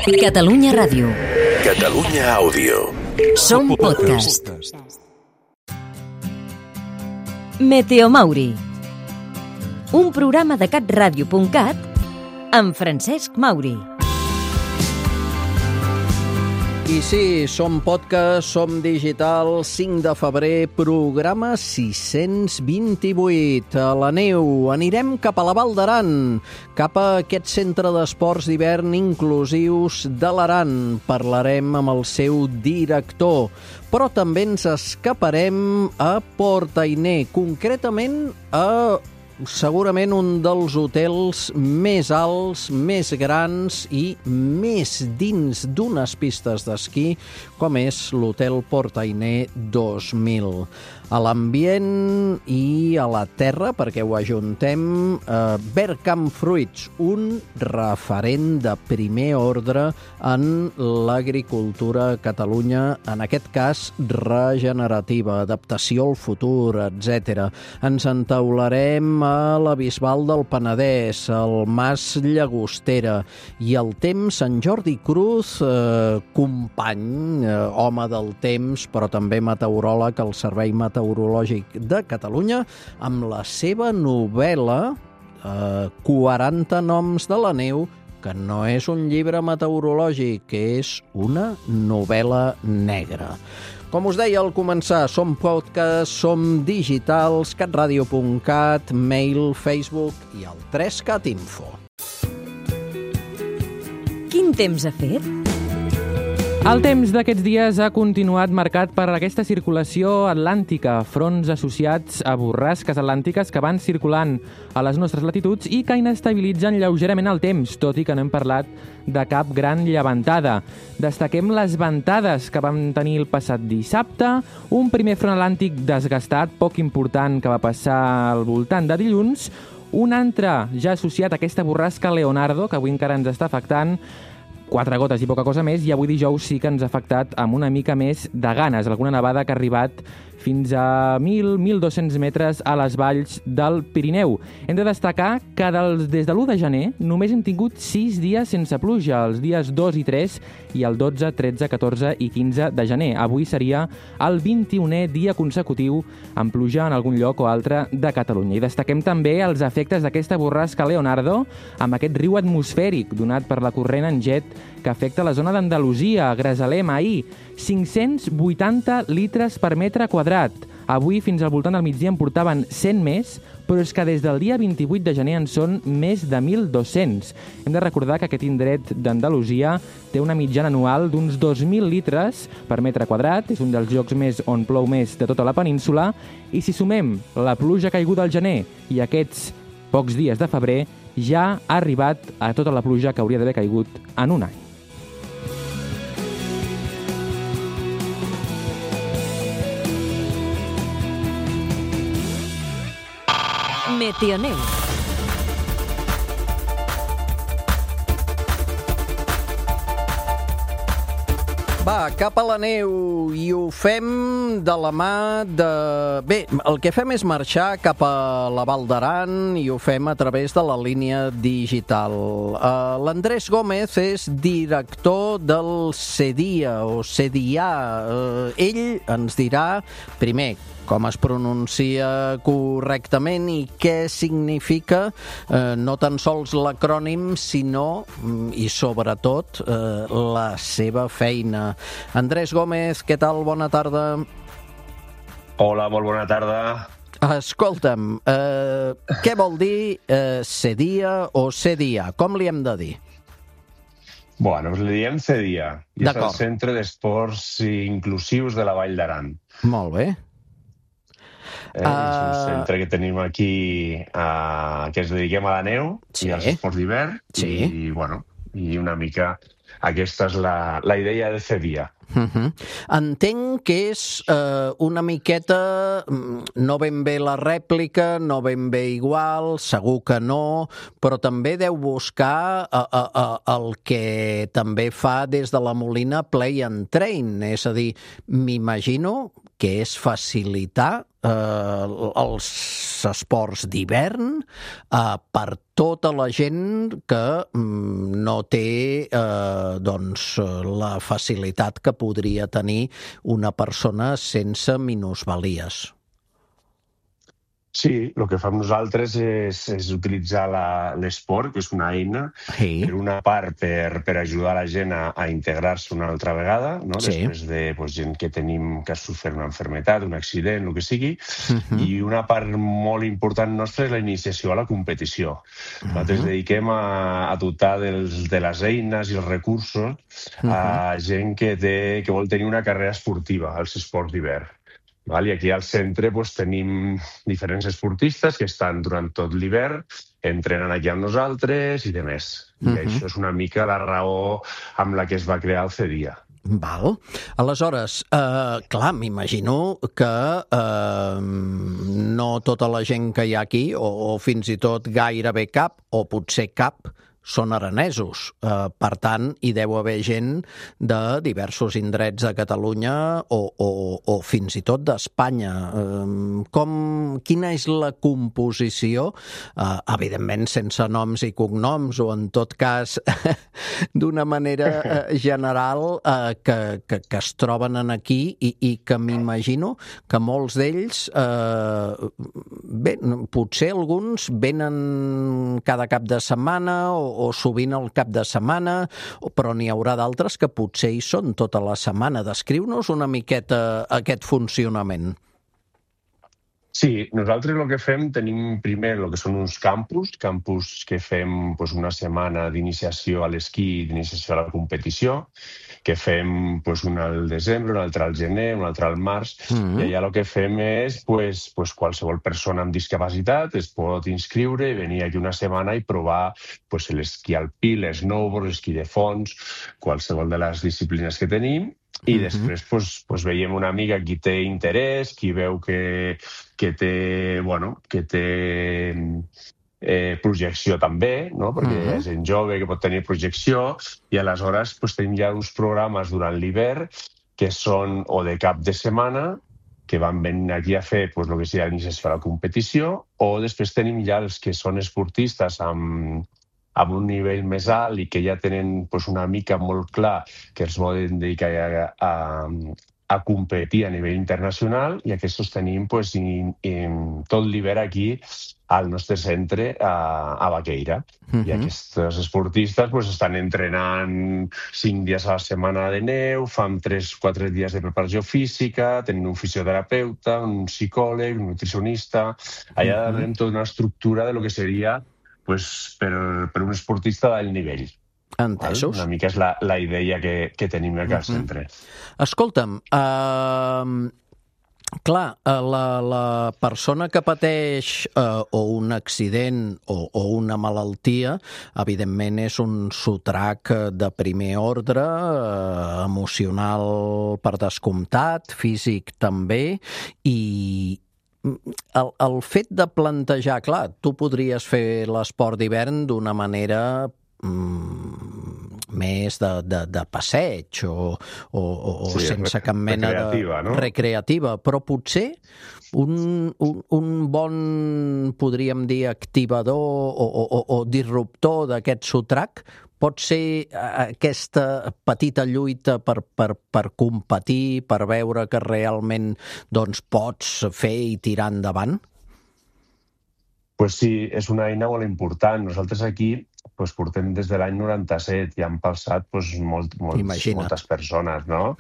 Catalunya Ràdio. Catalunya Àudio. Som podcast. Meteomauri. Un programa de catradio.cat amb Francesc Mauri. I sí, som podcast, som digital, 5 de febrer, programa 628. A la neu anirem cap a la Val d'Aran, cap a aquest centre d'esports d'hivern inclusius de l'Aran. Parlarem amb el seu director, però també ens escaparem a Port Ainé, concretament a segurament un dels hotels més alts, més grans i més dins d'unes pistes d'esquí, com és l'Hotel Port Ainé 2000. A l'ambient i a la terra, perquè ho ajuntem, Bergkamp Fruits, un referent de primer ordre en l'agricultura a Catalunya, en aquest cas regenerativa, adaptació al futur, etc. Ens entaularem a la Bisbal del Penedès, al Mas Llagostera, i el temps, en Jordi Cruz, company, home del temps, però també meteoròleg al Servei Meteorològic de Catalunya, amb la seva novel·la 40 noms de la neu, que no és un llibre meteorològic, que és una novel·la negra. Com us deia al començar, som podcast, som digitals, catradio.cat, mail, Facebook i el 3Cat Info. Quin temps ha fet? El temps d'aquests dies ha continuat marcat per aquesta circulació atlàntica, fronts associats a borrasques atlàntiques que van circulant a les nostres latituds i que inestabilitzen lleugerament el temps, tot i que no hem parlat de cap gran llevantada. Destaquem les ventades que vam tenir el passat dissabte, un primer front atlàntic desgastat, poc important, que va passar al voltant de dilluns, un altre ja associat a aquesta borrasca Leonardo, que avui encara ens està afectant, 4 gotes i poca cosa més, i avui dijous sí que ens ha afectat amb una mica més de ganes. Alguna nevada que ha arribat fins a 1.000-1.200 metres a les valls del Pirineu. Hem de destacar que des de l'1 de gener només hem tingut 6 dies sense pluja, els dies 2 i 3 i el 12, 13, 14 i 15 de gener. Avui seria el 21è dia consecutiu amb pluja en algun lloc o altre de Catalunya. I destaquem també els efectes d'aquesta borrasca Leonardo amb aquest riu atmosfèric donat per la corrent en jet que afecta la zona d'Andalusia, Grazalem, ahir. 580 litres per metre quadrat. Avui, fins al voltant del migdia, en portaven 100 més, però és que des del dia 28 de gener en són més de 1.200. Hem de recordar que aquest indret d'Andalusia té una mitjana anual d'uns 2.000 litres per metre quadrat, és un dels llocs on plou més de tota la península, i si sumem la pluja caiguda al gener i aquests pocs dies de febrer, ja ha arribat a tota la pluja que hauria d'haver caigut en un any. Meteoneu. Va, cap a la neu, i ho fem de la mà de... Bé, el que fem és marxar cap a la Val d'Aran i ho fem a través de la línia digital. L'Andrés Gómez és director del CEDIA o CEDIA. Ell ens dirà, primer, com es pronuncia correctament i què significa no tan sols l'acrònim, sinó, i sobretot, la seva feina. Andrés Gómez, què tal? Bona tarda. Hola, molt bona tarda. Escolta'm, què vol dir CEDIA o CEDIA? Com li hem de dir? Bueno, li diem CEDIA, i és el Centre d'Esports Inclusius de la Vall d'Aran. Molt bé. És un centre que tenim aquí que ens dediquem a la neu i als esports d'hivern i una mica aquesta és la idea de CEDIA. Entenc que és una miqueta, no ben bé la rèplica, no ben bé igual, segur que no, però també deu buscar el que també fa des de la Molina Play and Train, és a dir, m'imagino que és facilitar els esports d'hivern per tota la gent que no té la facilitat que podria tenir una persona sense minusvalies. Sí, el que fem nosaltres és utilitzar l'esport, que és una eina, per una part per ajudar la gent a integrar-se una altra vegada, no? Després de gent que tenim que ha sofert una malaltia, un accident, el que sigui, i una part molt important nostra és la iniciació a la competició. Nosaltres dediquem a dotar de les eines i els recursos a gent que vol tenir una carrera esportiva als esports d'hivern. I aquí al centre tenim diferents esportistes que estan durant tot l'hivern, entrenen aquí amb nosaltres i demés. I això és una mica la raó amb la que es va crear el CEDIA. Val. Aleshores, clar, m'imagino que no tota la gent que hi ha aquí, o fins i tot gairebé cap, o potser cap, són aranesos. Per tant, hi deu haver gent de diversos indrets de Catalunya o fins i tot d'Espanya. Quina és la composició? Evidentment, sense noms i cognoms, o en tot cas, d'una manera general, que es troben aquí i que m'imagino que molts d'ells, potser alguns venen cada cap de setmana o sovint al cap de setmana, però n'hi haurà d'altres que potser hi són tota la setmana. Descriu-nos una miqueta aquest funcionament. Sí, nosaltres el que fem, tenim primer el que són uns campus que fem una setmana d'iniciació a l'esquí, d'iniciació a la competició, que fem un al desembre, un altre al gener, un altre al març, i allà el que fem és qualsevol persona amb discapacitat es pot inscriure i venir aquí una setmana i provar l'esquí alpí, l'esnowboard, l'esquí de fons, qualsevol de les disciplines que tenim. I després veiem una mica qui té interès, qui veu que té projecció també, no? Perquè hi ha gent jove que pot tenir projecció, i aleshores tenim ja uns programes durant l'hivern que són o de cap de setmana, que van venir aquí a fer el que sigui l'iniciació a la competició, o després tenim ja els que són esportistes amb un nivell més alt i que ja tenen una mica molt clar que els volen dedicar a competir a nivell internacional, i aquests tenim tot l'hivern aquí al nostre centre a Baqueira. I aquests esportistes estan entrenant 5 dies a la setmana de neu, fan 3-4 dies de preparació física, tenen un fisioterapeuta, un psicòleg, un nutricionista. Allà tenim tota una estructura de lo que seria per un esportista d'alt nivell. Entesos. Una mica és la idea que tenim aquí al centre. Escolta'm, clar, la persona que pateix o un accident o una malaltia, evidentment és un sotrac de primer ordre, emocional per descomptat, físic també, i el fet de plantejar, clar, tu podries fer l'esport d'hivern d'una manera més de passeig o sense cap mena de recreativa, però potser un bon, podríem dir, activador o disruptor d'aquest sotrac pot ser aquesta petita lluita per competir, per veure que realment pots fer i tirar endavant? Pues sí, és una eina molt important. Nosaltres aquí portem des de l'any 97 i han passat moltes persones, no?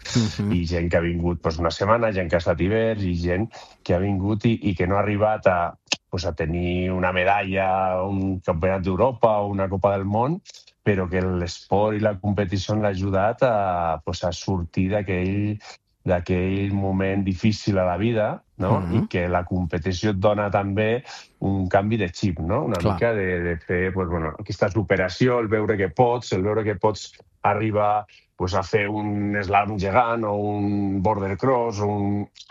I gent que ha vingut una setmana, gent que ha estat hivern, i gent que ha vingut i que no ha arribat a tenir una medalla, un campionat d'Europa o una Copa del Món, però que l'esport i la competició han ajudat a sortir d'aquell moment difícil a la vida, no? I que la competició et dona també un canvi de xip, no? Una mica de fer aquesta superació, el veure que pots arribar a fer un slalom gegant o un border cross.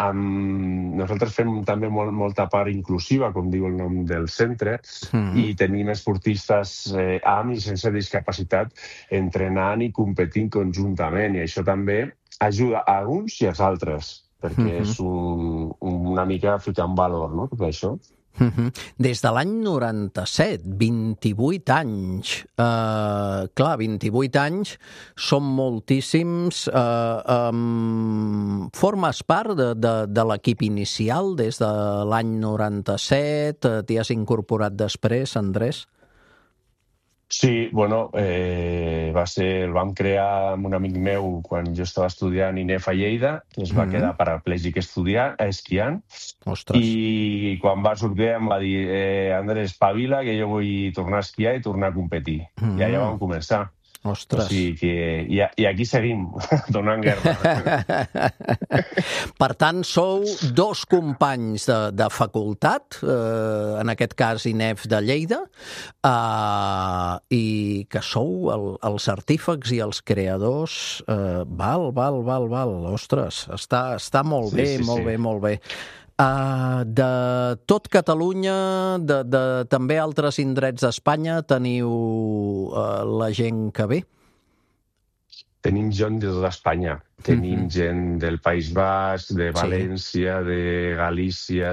Nosaltres fem també molta part inclusiva, com diu el nom del centre, i tenim esportistes amb i sense discapacitat entrenant i competint conjuntament, i això també ajuda a uns i als altres. perquè és una mica ficar en valor, no?, tot això. Des de l'any 97, 28 anys. Clar, 28 anys són moltíssims. Formes part de l'equip inicial des de l'any 97? T'hi has incorporat després, Andrés? Sí, bueno, el vam crear amb un amic meu quan jo estava estudiant INEF a Lleida, que es va quedar paraplègic esquiant. Ostres. I quan va sortir em va dir Andrés, espavila, que jo vull tornar a esquiar i tornar a competir. I allà vam començar. Ostres. O sigui que... I aquí seguim, donant guerra. Per tant, sou dos companys de facultat, en aquest cas INEF de Lleida, i que sou els artífex i els creadors. Val. Ostres, està molt bé, molt bé. De tot Catalunya, de també altres indrets d'Espanya, teniu la gent que ve? Tenim gent de tota Espanya. Tenim gent del País Basc, de València, de Galícia,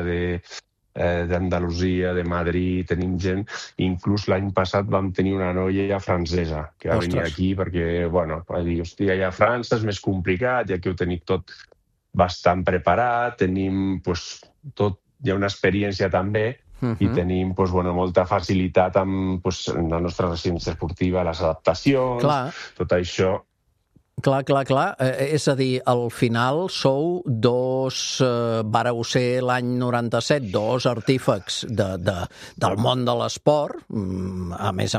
d'Andalusia, de Madrid. Tenim gent... Inclús l'any passat vam tenir una noia francesa que va venir aquí perquè, bueno, va dir, hòstia, allà a França és més complicat, i aquí ho tenim tot bastant preparat, tenim tot, hi ha una experiència també, i tenim molta facilitat amb la nostra residència esportiva, les adaptacions, tot això. Clar. És a dir, al final sou vareu ser l'any 97, dos artífex del món de l'esport, a més,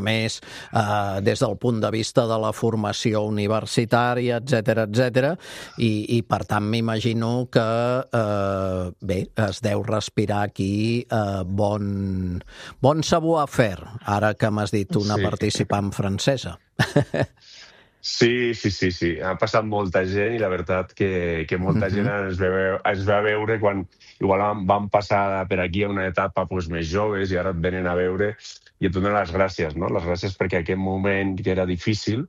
des del punt de vista de la formació universitària, etc. I per tant m'imagino que, es deu respirar aquí bon savoir-faire, ara que m'has dit una participant francesa. Sí. Ha passat molta gent i la veritat que molta gent ens va veure quan igual vam passar per aquí a una etapa més joves i ara et venen a veure i et donen les gràcies, no? Les gràcies perquè aquest moment que era difícil,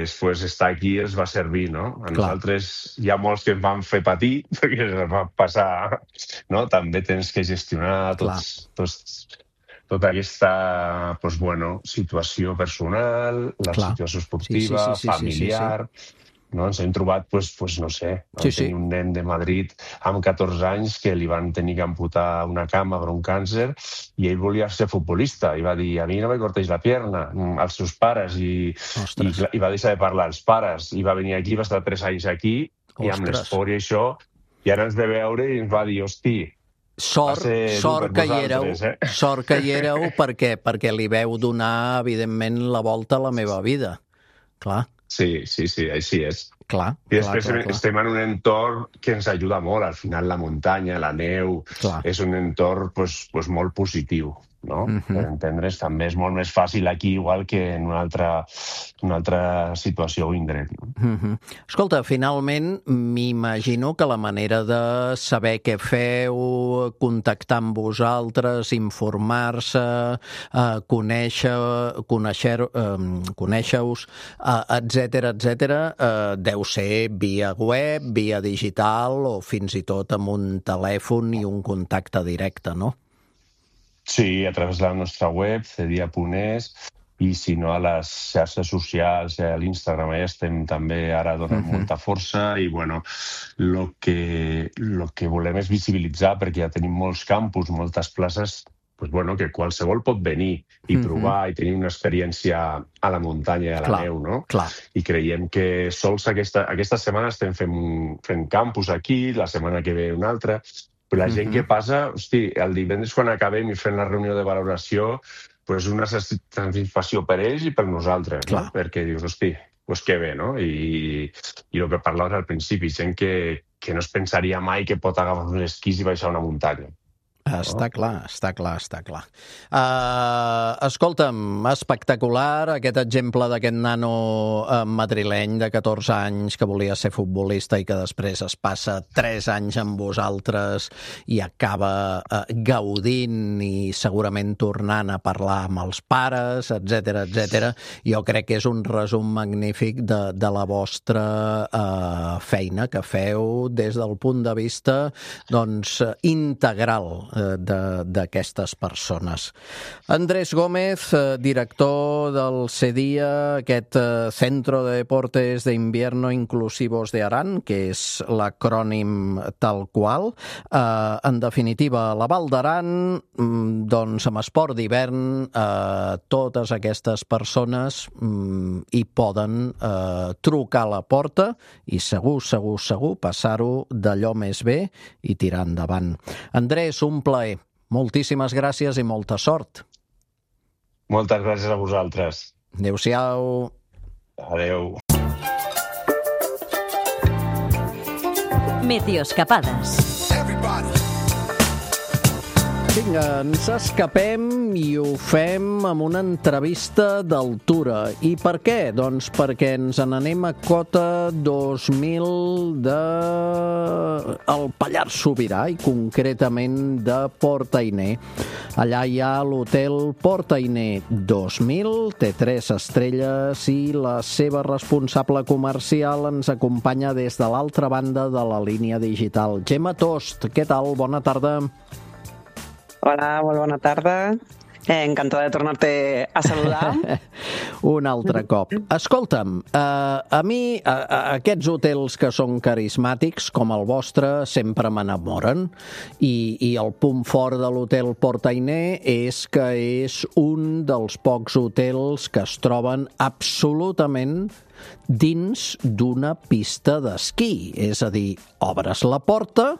estar aquí els va servir, no? A nosaltres hi ha molts que ens van fer patir perquè ens va passar, no? També tens que gestionar tota aquesta situació personal, la situació esportiva, familiar. No? Ens hem trobat, no sé, tenir un nen de Madrid amb 14 anys que li van tenir que amputar una cama per un càncer i ell volia ser futbolista i va dir, a mi no me corteix la pierna, als seus pares, i va deixar de parlar als pares, i va venir aquí, va estar 3 anys aquí, i amb l'esport i això, i ara ens ve veure i ens va dir, hosti, Sort que hi éreu perquè li veu donar, evidentment, la volta a la meva vida. Clar. Sí, així és. Clar. I després estem en un entorn que ens ajuda molt. Al final, la muntanya, la neu, és un entorn molt positiu. No? Per entendre's, també és molt més fàcil aquí igual que en una altra situació o indret. No? Escolta, finalment m'imagino que la manera de saber què feu, contactar amb vosaltres, informar-se, conèixer-vos, etc., deu ser via web, via digital o fins i tot amb un telèfon i un contacte directe, no? Sí, a través de la nostra web, cedia.es, i si no a les xarxes socials, a l'Instagram, ja estem també ara donant molta força i, el que volem és visibilitzar, perquè ja tenim molts campus, moltes places, que qualsevol pot venir i provar i tenir una experiència a la muntanya i a la neu, no? I creiem que sols aquesta setmana estem fent campus aquí, la setmana que ve una altra. Però la gent que passa, el divendres quan acabem i fem la reunió de valoració, és una satisfacció per ells i per nosaltres, no? Perquè dius, que bé, no? I el que parlaves al principi, gent que no es pensaria mai que pot agafar uns esquís i baixar una muntanya. Està clar. Escolta'm, espectacular aquest exemple d'aquest nano madrileny de 14 anys que volia ser futbolista i que després es passa 3 anys amb vosaltres i acaba gaudint i segurament tornant a parlar amb els pares, etc. Jo crec que és un resum magnífic de la vostra feina que feu des del punt de vista integral d'aquestes persones. Andrés Gómez, director del CEDIA, aquest Centro de Deportes de Invierno Inclusivos de Aran, que és l'acrònim tal qual. En definitiva, la Val d'Aran, doncs amb esport d'hivern, totes aquestes persones hi poden trucar a la porta i segur passar-ho d'allò més bé i tirar endavant. Andrés, un plaer. Moltíssimes gràcies i molta sort. Moltes gràcies a vosaltres. Adéu-siau. Adéu. Meteoscapades. Vinga, ens escapem i ho fem amb una entrevista d'altura. I per què? Doncs perquè ens n'anem a Cota 2000 del Pallars Sobirà i concretament de Port Ainé. Allà hi ha l'hotel Port Ainé 2000, té 3 estrelles i la seva responsable comercial ens acompanya des de l'altra banda de la línia digital. Gemma Tost, què tal? Bona tarda. Hola, molt bona tarda. Encantada de tornar-te a saludar. Un altre cop. Escolta'm, a mi aquests hotels que són carismàtics, com el vostre, sempre m'enamoren. I el punt fort de l'hotel Port Ainé és que és un dels pocs hotels que es troben absolutament dins d'una pista d'esquí. És a dir, obres la porta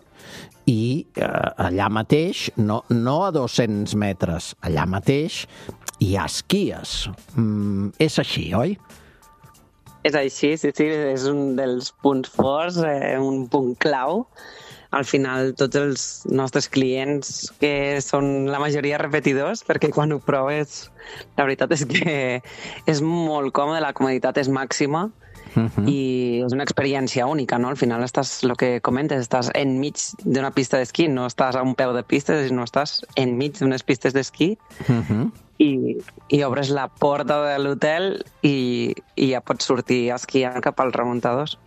i allà mateix, no a 200 metres, allà mateix hi ha esquies. És així, oi? És així, sí, és un dels punts forts, un punt clau. Al final, tots els nostres clients, que són la majoria repetidors, perquè quan ho proves, la veritat és que és molt còmode, la comoditat és màxima. I és una experiència única, no? Al final estàs, el que comentes, estàs enmig d'una pista d'esquí, no estàs a un peu de pistes, sinó estàs enmig d'unes pistes d'esquí i obres la porta de l'hotel i ja pots sortir esquiant cap als remuntadors.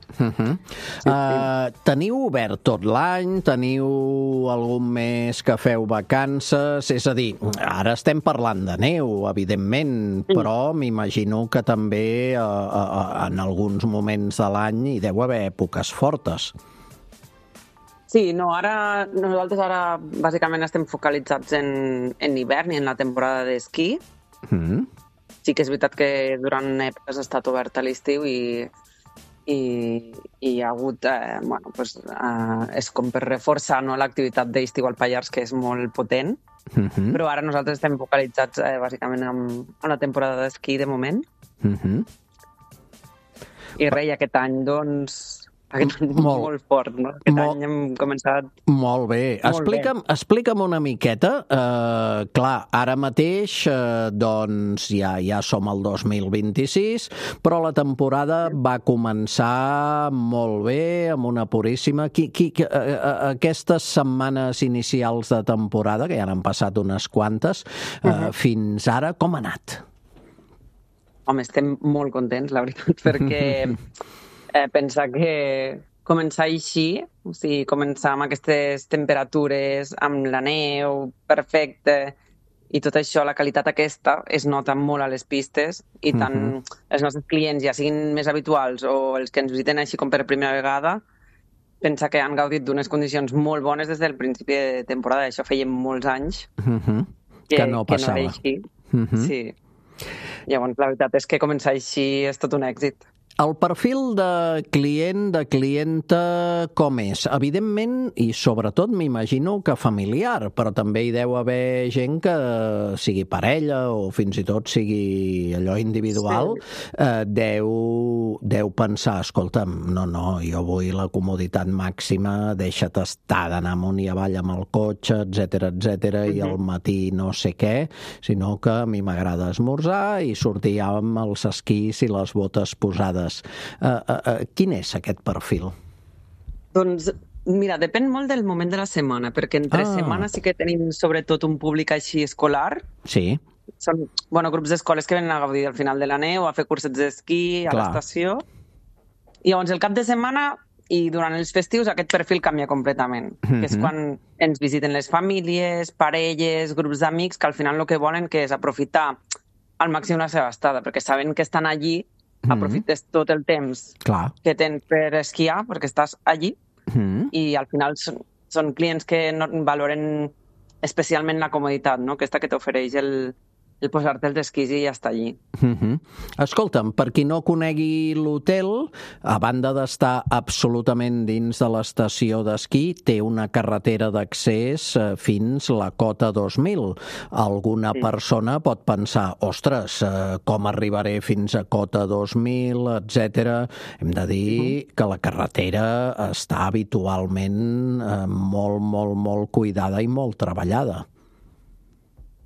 Teniu obert tot l'any? Teniu algun mes que feu vacances? És a dir, ara estem parlant de neu, evidentment, però m'imagino que també en alguns moments de l'any hi deu haver èpoques fortes. Sí, nosaltres ara bàsicament estem focalitzats en hivern i en la temporada d'esquí. Sí que és veritat que durant èpoques ha estat obert a l'estiu i hi ha hagut, és com per reforçar l'activitat d'estiu al Pallars, que és molt potent, però ara nosaltres estem focalitzats bàsicament en la temporada d'esquí de moment. I res, aquest any, doncs, molt fort, no? Aquest any hem començat... Molt bé. Explica'm una miqueta. Clar, ara mateix doncs ja som al 2026, però la temporada va començar molt bé, amb una puríssima. Aquestes setmanes inicials de temporada, que ja n'han passat unes quantes, fins ara, com ha anat? Home, estem molt contents, la veritat, perquè... pensar que començar així, o sigui, començar amb aquestes temperatures, amb la neu perfecte i tot això, la qualitat aquesta es nota molt a les pistes i tant els nostres clients, ja siguin més habituals o els que ens visiten així com per primera vegada, pensa que han gaudit d'unes condicions molt bones des del principi de temporada. Això feia molts anys que no passava. Sí. Llavors, la veritat és que començar així és tot un èxit. El perfil de client, de clienta, com és? Evidentment, i sobretot m'imagino que familiar, però també hi deu haver gent que sigui parella o fins i tot sigui allò individual, deu pensar, escolta'm, no, jo vull la comoditat màxima, deixa't estar d'anar amunt i avall amb el cotxe, etc i al matí no sé què, sinó que a mi m'agrada esmorzar i sortir amb els esquís i les botes posades. Quin és aquest perfil? Doncs, mira, depèn molt del moment de la setmana, perquè entre setmana sí que tenim sobretot un públic així escolar. Sí. Són, grups d'escoles que venen a gaudir al final de la neu, a fer cursets d'esquí a l'estació. I llavors el cap de setmana i durant els festius aquest perfil canvia completament, que és quan ens visiten les famílies, parelles, grups d'amics, que al final el que volen que és aprofitar al màxim la seva estada, perquè saben que estan allí, aprofites tot el temps que tens per esquiar, perquè estàs allí, i al final són clients que no valoren especialment la comoditat, no? Aquesta que t'ofereix el posar-te els esquís i ja està allí. Escolta'm, per qui no conegui l'hotel, a banda d'estar absolutament dins de l'estació d'esquí, té una carretera d'accés fins la cota 2000. Alguna persona pot pensar, ostres, com arribaré fins a cota 2000, etc. Hem de dir que la carretera està habitualment molt cuidada i molt treballada.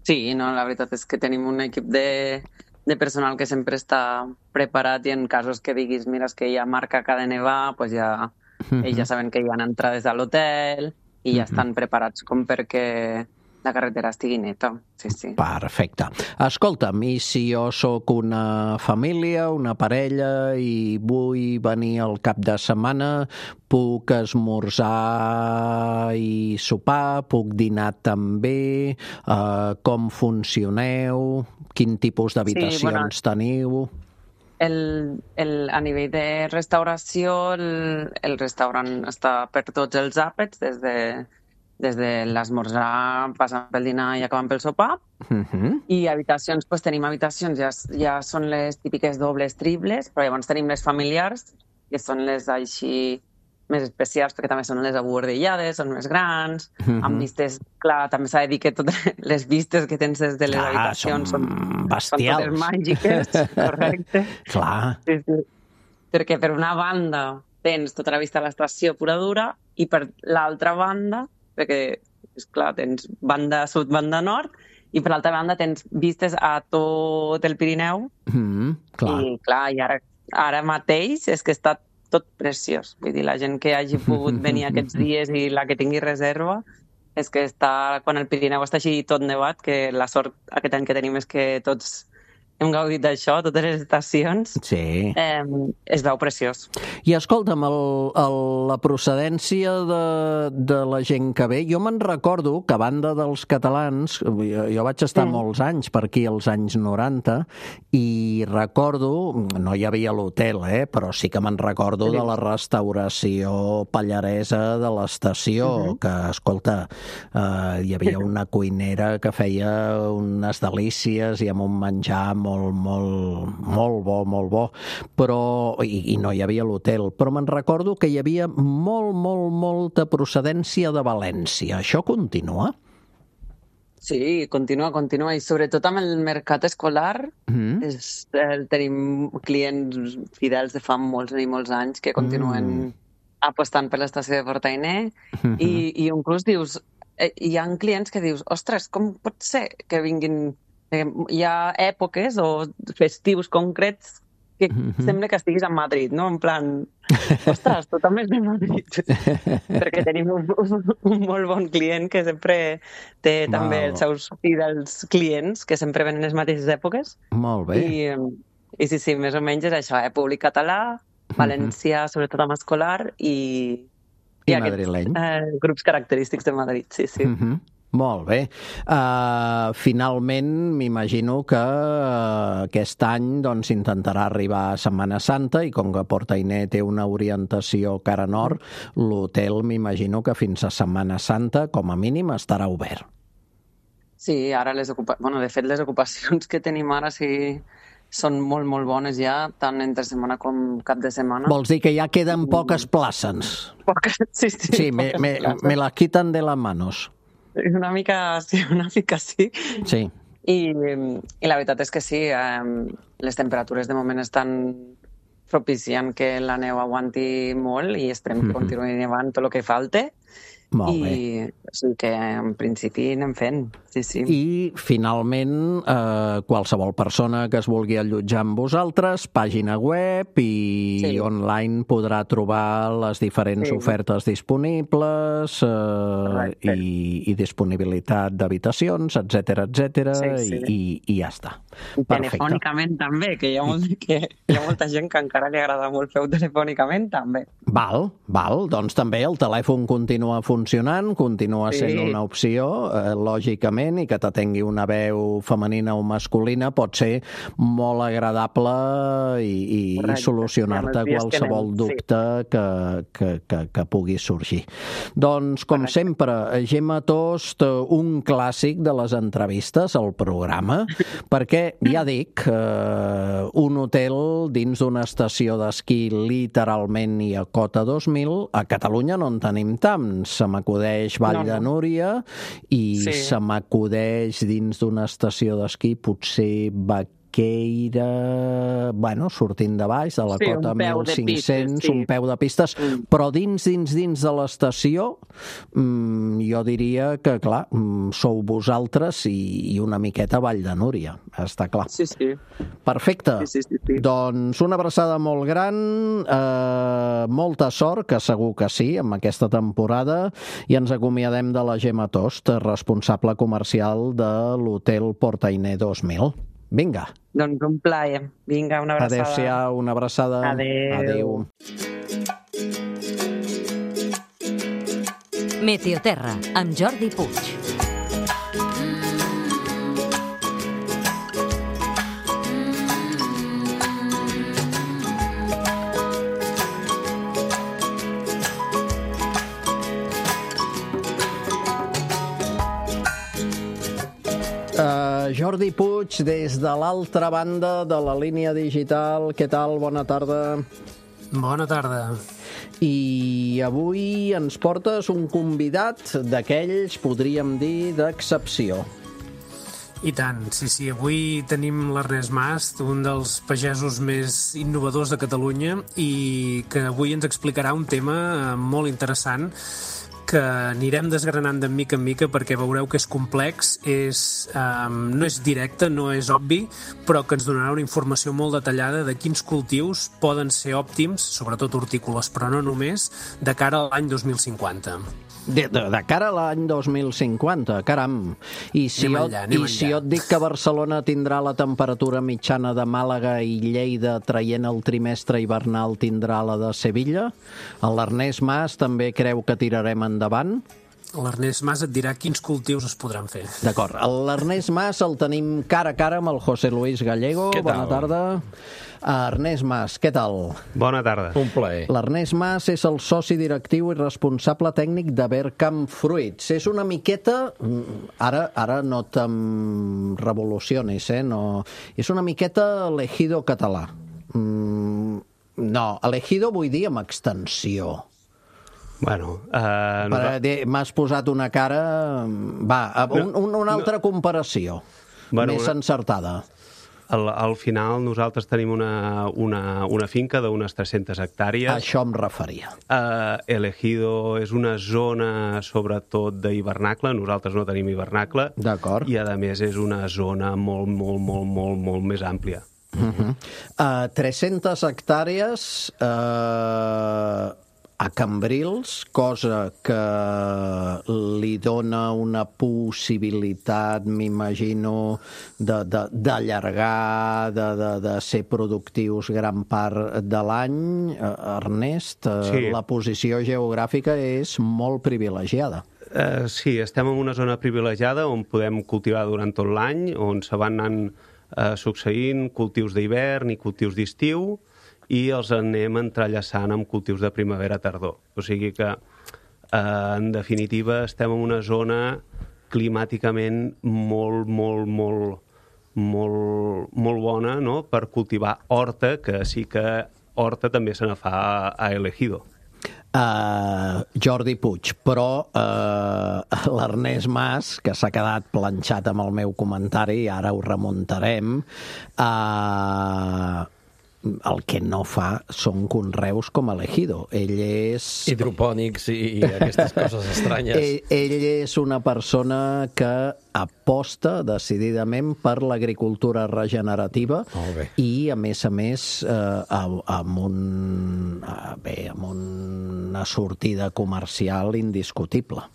Sí, no, la veritat és que tenim un equip de personal que sempre està preparat i en casos que diguis, mira, és que ja marca que ha de nevar, doncs ja ells ja saben que hi ha entrades a l'hotel i ja estan preparats com perquè la carretera estigui neta. Sí. Perfecte. Escolta'm, i si jo sóc una família, una parella i vull venir al cap de setmana, puc esmorzar i sopar, puc dinar també, com funcioneu, quin tipus d'habitacions teniu? A nivell de restauració, el restaurant està per tots els àpats, des de l'esmorzar, passant pel dinar i acabant pel sopar. I habitacions, tenim habitacions, ja són les típiques dobles, triples, però llavors tenim les familiars, que són les així més especials, perquè també són les abuordellades, són més grans, amb vistes, clar, també s'ha de dir que totes les vistes que tens des de les habitacions són bestials. Són totes màgiques, correcte. Clar. Sí. Perquè per una banda tens tota la vista a l'estació pura dura i per l'altra banda, perquè, esclar, tens banda sud, banda nord, i per l'altra banda tens vistes a tot el Pirineu. Clar. I clar, i ara mateix és que està tot preciós. Vull dir, la gent que hagi pogut venir aquests dies i la que tingui reserva, és que està, quan el Pirineu està així tot nevat, que la sort aquest any que tenim és que tots hem gaudit d'això, totes les estacions. Sí. Es veu preciós. I escolta'm, la procedència de la gent que ve, jo me'n recordo que a banda dels catalans, jo vaig estar molts anys per aquí als anys 90, i recordo, no hi havia l'hotel, però sí que me'n recordo de la restauració pallaresa de l'estació, que, escolta, hi havia una cuinera que feia unes delícies i amb un menjar molt bo, però, i no hi havia l'hotel, però me'n recordo que hi havia molta procedència de València. Això continua? Sí, continua, i sobretot amb el mercat escolar tenim clients fidels de fa molts anys que continuen apostant per l'estació de Portainer i inclús dius, hi ha clients que dius, ostres, com pot ser que vinguin. Hi ha èpoques o festius concrets que sembla que estiguis a Madrid, no? En plan, ostres, tu també és de Madrid. Perquè tenim un molt bon client que sempre té també els seus fidels clients que sempre venen les mateixes èpoques. Molt bé. I sí, més o menys és això, públic català, valencià, sobretot amb escolar, i aquests grups característics de Madrid, sí. Molt bé. Finalment, m'imagino que aquest any intentarà arribar a Setmana Santa i com que Portainer té una orientació cara nord, l'hotel m'imagino que fins a Setmana Santa, com a mínim, estarà obert. Sí, ara de fet les ocupacions que tenim ara són molt, molt bones ja, tant entre setmana com cap de setmana. Vols dir que ja queden poques places? Sí, Sí, me la quitan de las manos. Una mica sí. Sí. I la veritat és que sí, les temperatures de moment estan propiciant que la neu aguanti molt i esperem que continuï nevant tot el que falta. Molt bé. I sí que en principi anem fent, sí. I finalment, qualsevol persona que es vulgui allotjar amb vosaltres, pàgina web i online podrà trobar les diferents ofertes disponibles i disponibilitat d'habitacions, etcètera, i ja està. Telefònicament també, que hi ha molta gent que encara li agrada molt fer-ho telefònicament també. Val, doncs també el telèfon continua funcionant, continua sent una opció, lògicament, i que t'atengui una veu femenina o masculina pot ser molt agradable i solucionar-te qualsevol dubte que pugui sorgir. Doncs, com sempre, Gemma Tost, un clàssic de les entrevistes al programa, perquè, ja dic, un hotel dins d'una estació d'esquí literalment i a cota 2000, a Catalunya no en tenim tants. Se m'acudeix Vall de Núria i se m'acudeix dins d'una estació d'esquí potser Vaqueira, sortint de baix, de la cota 1500, un peu de pistes, però dins de l'estació jo diria que, clar, sou vosaltres i una miqueta Vall de Núria, està clar. Sí. Perfecte. Sí. Doncs una abraçada molt gran, molta sort, que segur que sí, amb aquesta temporada, i ens acomiadem de la Gemma Tost, responsable comercial de l'hotel Portainer 2000. Vinga. Doncs un plaer. Vinga, una abraçada. Adéu-siau, una abraçada. Adéu. Meteoterra, amb Jordi Puig. Jordi Puig, des de l'altra banda de la línia digital. Què tal? Bona tarda. Bona tarda. I avui ens portes un convidat d'aquells, podríem dir, d'excepció. I tant, sí. Avui tenim l'Ernest Mas, un dels pagesos més innovadors de Catalunya, i que avui ens explicarà un tema molt interessant que anirem desgranant de mica en mica perquè veureu que és complex, no és directe, no és obvi, però que ens donarà una informació molt detallada de quins cultius poden ser òptims, sobretot hortícoles, però no només, de cara a l'any 2050. De cara a l'any 2050, caram. I si jo et dic que Barcelona tindrà la temperatura mitjana de Màlaga i Lleida, traient el trimestre hivernal tindrà la de Sevilla, l'Ernest Mas també creu que tirarem endavant? L'Ernest Mas et dirà quins cultius es podran fer. D'acord. L'Ernest Mas el tenim cara a cara amb el José Luis Gallego. Bona tarda. Ernest Mas, què tal? Bona tarda. Un plaer. L'Ernest Mas és el soci directiu i responsable tècnic de Vercamp Fruits. És una miqueta... Ara no te'n revolucionis, no. És una miqueta l'Ejido català. No, l'Ejido vull dir amb extensió. Bueno, m'has posat una cara... Va, una altra comparació, més encertada. Al final nosaltres tenim una finca d'unes 300 hectàrees. Això em referia. El Ejido és una zona sobretot d'hivernacle, nosaltres no tenim hivernacle. D'acord. I a més és una zona molt més àmplia. 300 hectàrees a Cambrils, cosa que li dona una possibilitat, m'imagino, d'allargar, de ser productius gran part de l'any. Ernest, sí. La posició geogràfica és molt privilegiada. Sí, estem en una zona privilegiada on podem cultivar durant tot l'any, on se van anant succeint cultius d'hivern i cultius d'estiu, i els anem entrellaçant amb cultius de primavera-tardor. O sigui que, en definitiva, estem en una zona climàticament molt molt bona, no?, per cultivar horta, que sí que horta també se ne fa a Elegido. Jordi Puig, però l'Ernest Mas, que s'ha quedat planxat amb el meu comentari, ara ho remuntarem, el que no fa són conreus com Elegido. Ell és... hidropònics i aquestes coses estranyes. Ell és una persona que aposta decididament per l'agricultura regenerativa i, a més, amb una sortida comercial indiscutible.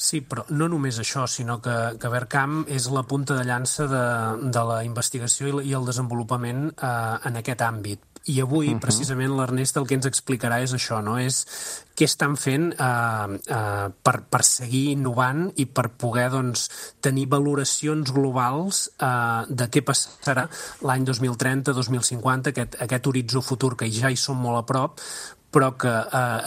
Sí, però no només això, sinó que Vercam és la punta de llança de la investigació i el desenvolupament en aquest àmbit. I avui, precisament, l'Ernest el que ens explicarà és això, no? És què estan fent per seguir innovant i per poder tenir valoracions globals de què passarà l'any 2030-2050, aquest horitzó futur que ja hi som molt a prop, però que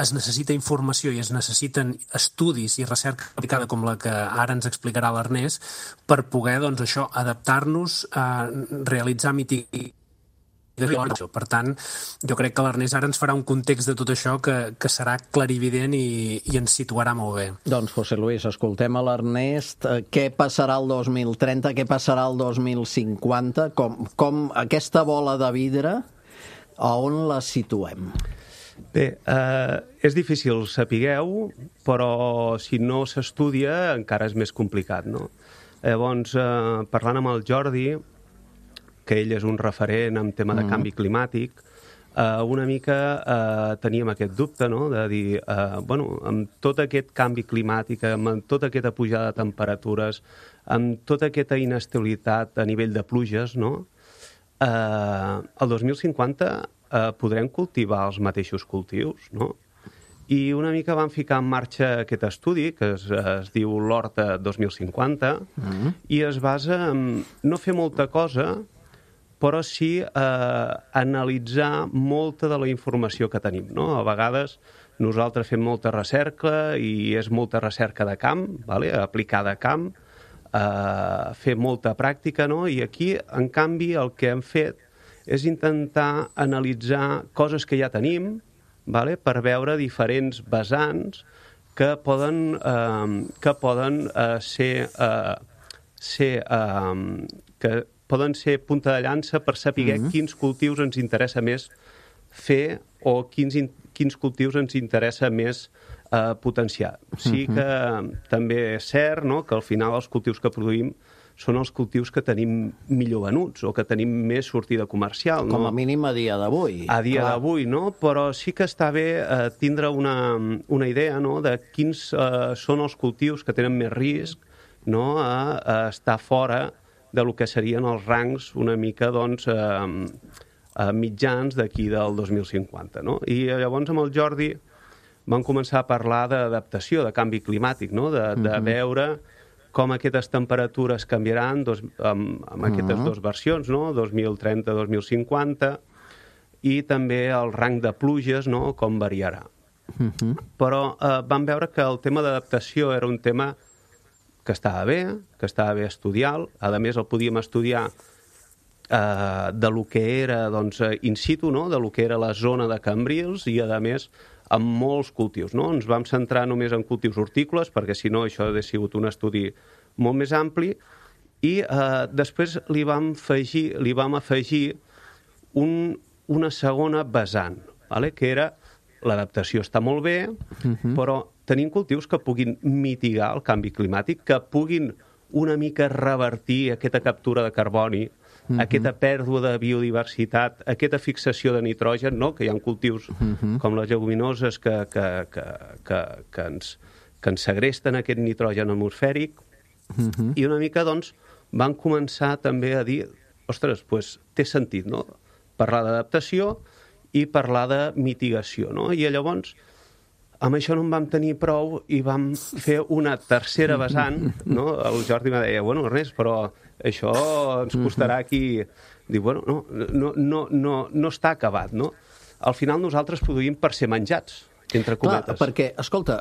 es necessita informació i es necessiten estudis i recerca aplicada com la que ara ens explicarà l'Ernest per poder, adaptar-nos, realitzar mitigació. Per tant, jo crec que l'Ernest ara ens farà un context de tot això que serà clarivident i ens situarà molt bé. Doncs, José Luis, escoltem a l'Ernest. Què passarà el 2030? Què passarà el 2050? Com aquesta bola de vidre, a on la situem? Bé, és difícil sapigueu, però si no s'estudia encara és més complicat, no? Llavors, parlant amb el Jordi, que ell és un referent en tema de canvi climàtic, una mica teníem aquest dubte, no?, de dir, amb tot aquest canvi climàtic, amb tota aquesta pujada de temperatures, amb tota aquesta inestabilitat a nivell de pluges, no?, el 2050 podrem cultivar els mateixos cultius, no? I una mica van ficar en marxa aquest estudi, que es diu l'Horta 2050, i es basa en no fer molta cosa, però sí analitzar molta de la informació que tenim, no? A vegades nosaltres fem molta recerca i és molta recerca de camp, aplicada a camp, fer molta pràctica, no? I aquí, en canvi, el que hem fet és intentar analitzar coses que ja tenim, per veure diferents vessants que poden ser punta de llança per saber quins cultius ens interessa més fer o quins cultius ens interessa més potenciar. Sí que també és cert, no?, que al final els cultius que produïm són els cultius que tenim millor venuts o que tenim més sortida comercial. No? Com a mínim a dia d'avui. A dia d'avui, no? Però sí que està bé tindre una idea, no?, de quins són els cultius que tenen més risc, no?, a estar fora de lo que serien els rangs una mica, mitjans d'aquí del 2050, no? I llavors amb el Jordi vam començar a parlar d'adaptació, de canvi climàtic, no?, de veure com aquestes temperatures canviaran amb aquestes dues versions, no?, 2030-2050, i també el rang de pluges, no?, com variarà. Però vam veure que el tema d'adaptació era un tema que estava bé estudiar, a més el podíem estudiar de lo que era in situ, no?, de lo que era la zona de Cambrils i, a més, amb molts cultius, no? Ens vam centrar només en cultius hortícoles, perquè si no això hauria sigut un estudi molt més ampli, i després li vam afegir una segona vessant, que era l'adaptació està molt bé, però tenim cultius que puguin mitigar el canvi climàtic, que puguin una mica revertir aquesta captura de carboni, aquesta pèrdua de biodiversitat, aquesta fixació de nitrogen, no?, que hi ha cultius com les lleguminoses que ens segresten aquest nitrogen atmosfèric, i una mica, van començar també a dir, ostres, té sentit, no?, parlar d'adaptació i parlar de mitigació, no? I llavors, amb això no en vam tenir prou i vam fer una tercera vessant, no? El Jordi me deia, Ernest, però això ens costarà aquí... Dic, no està acabat, no? Al final nosaltres produïm per ser menjats, entre cometes. Clar, perquè, escolta,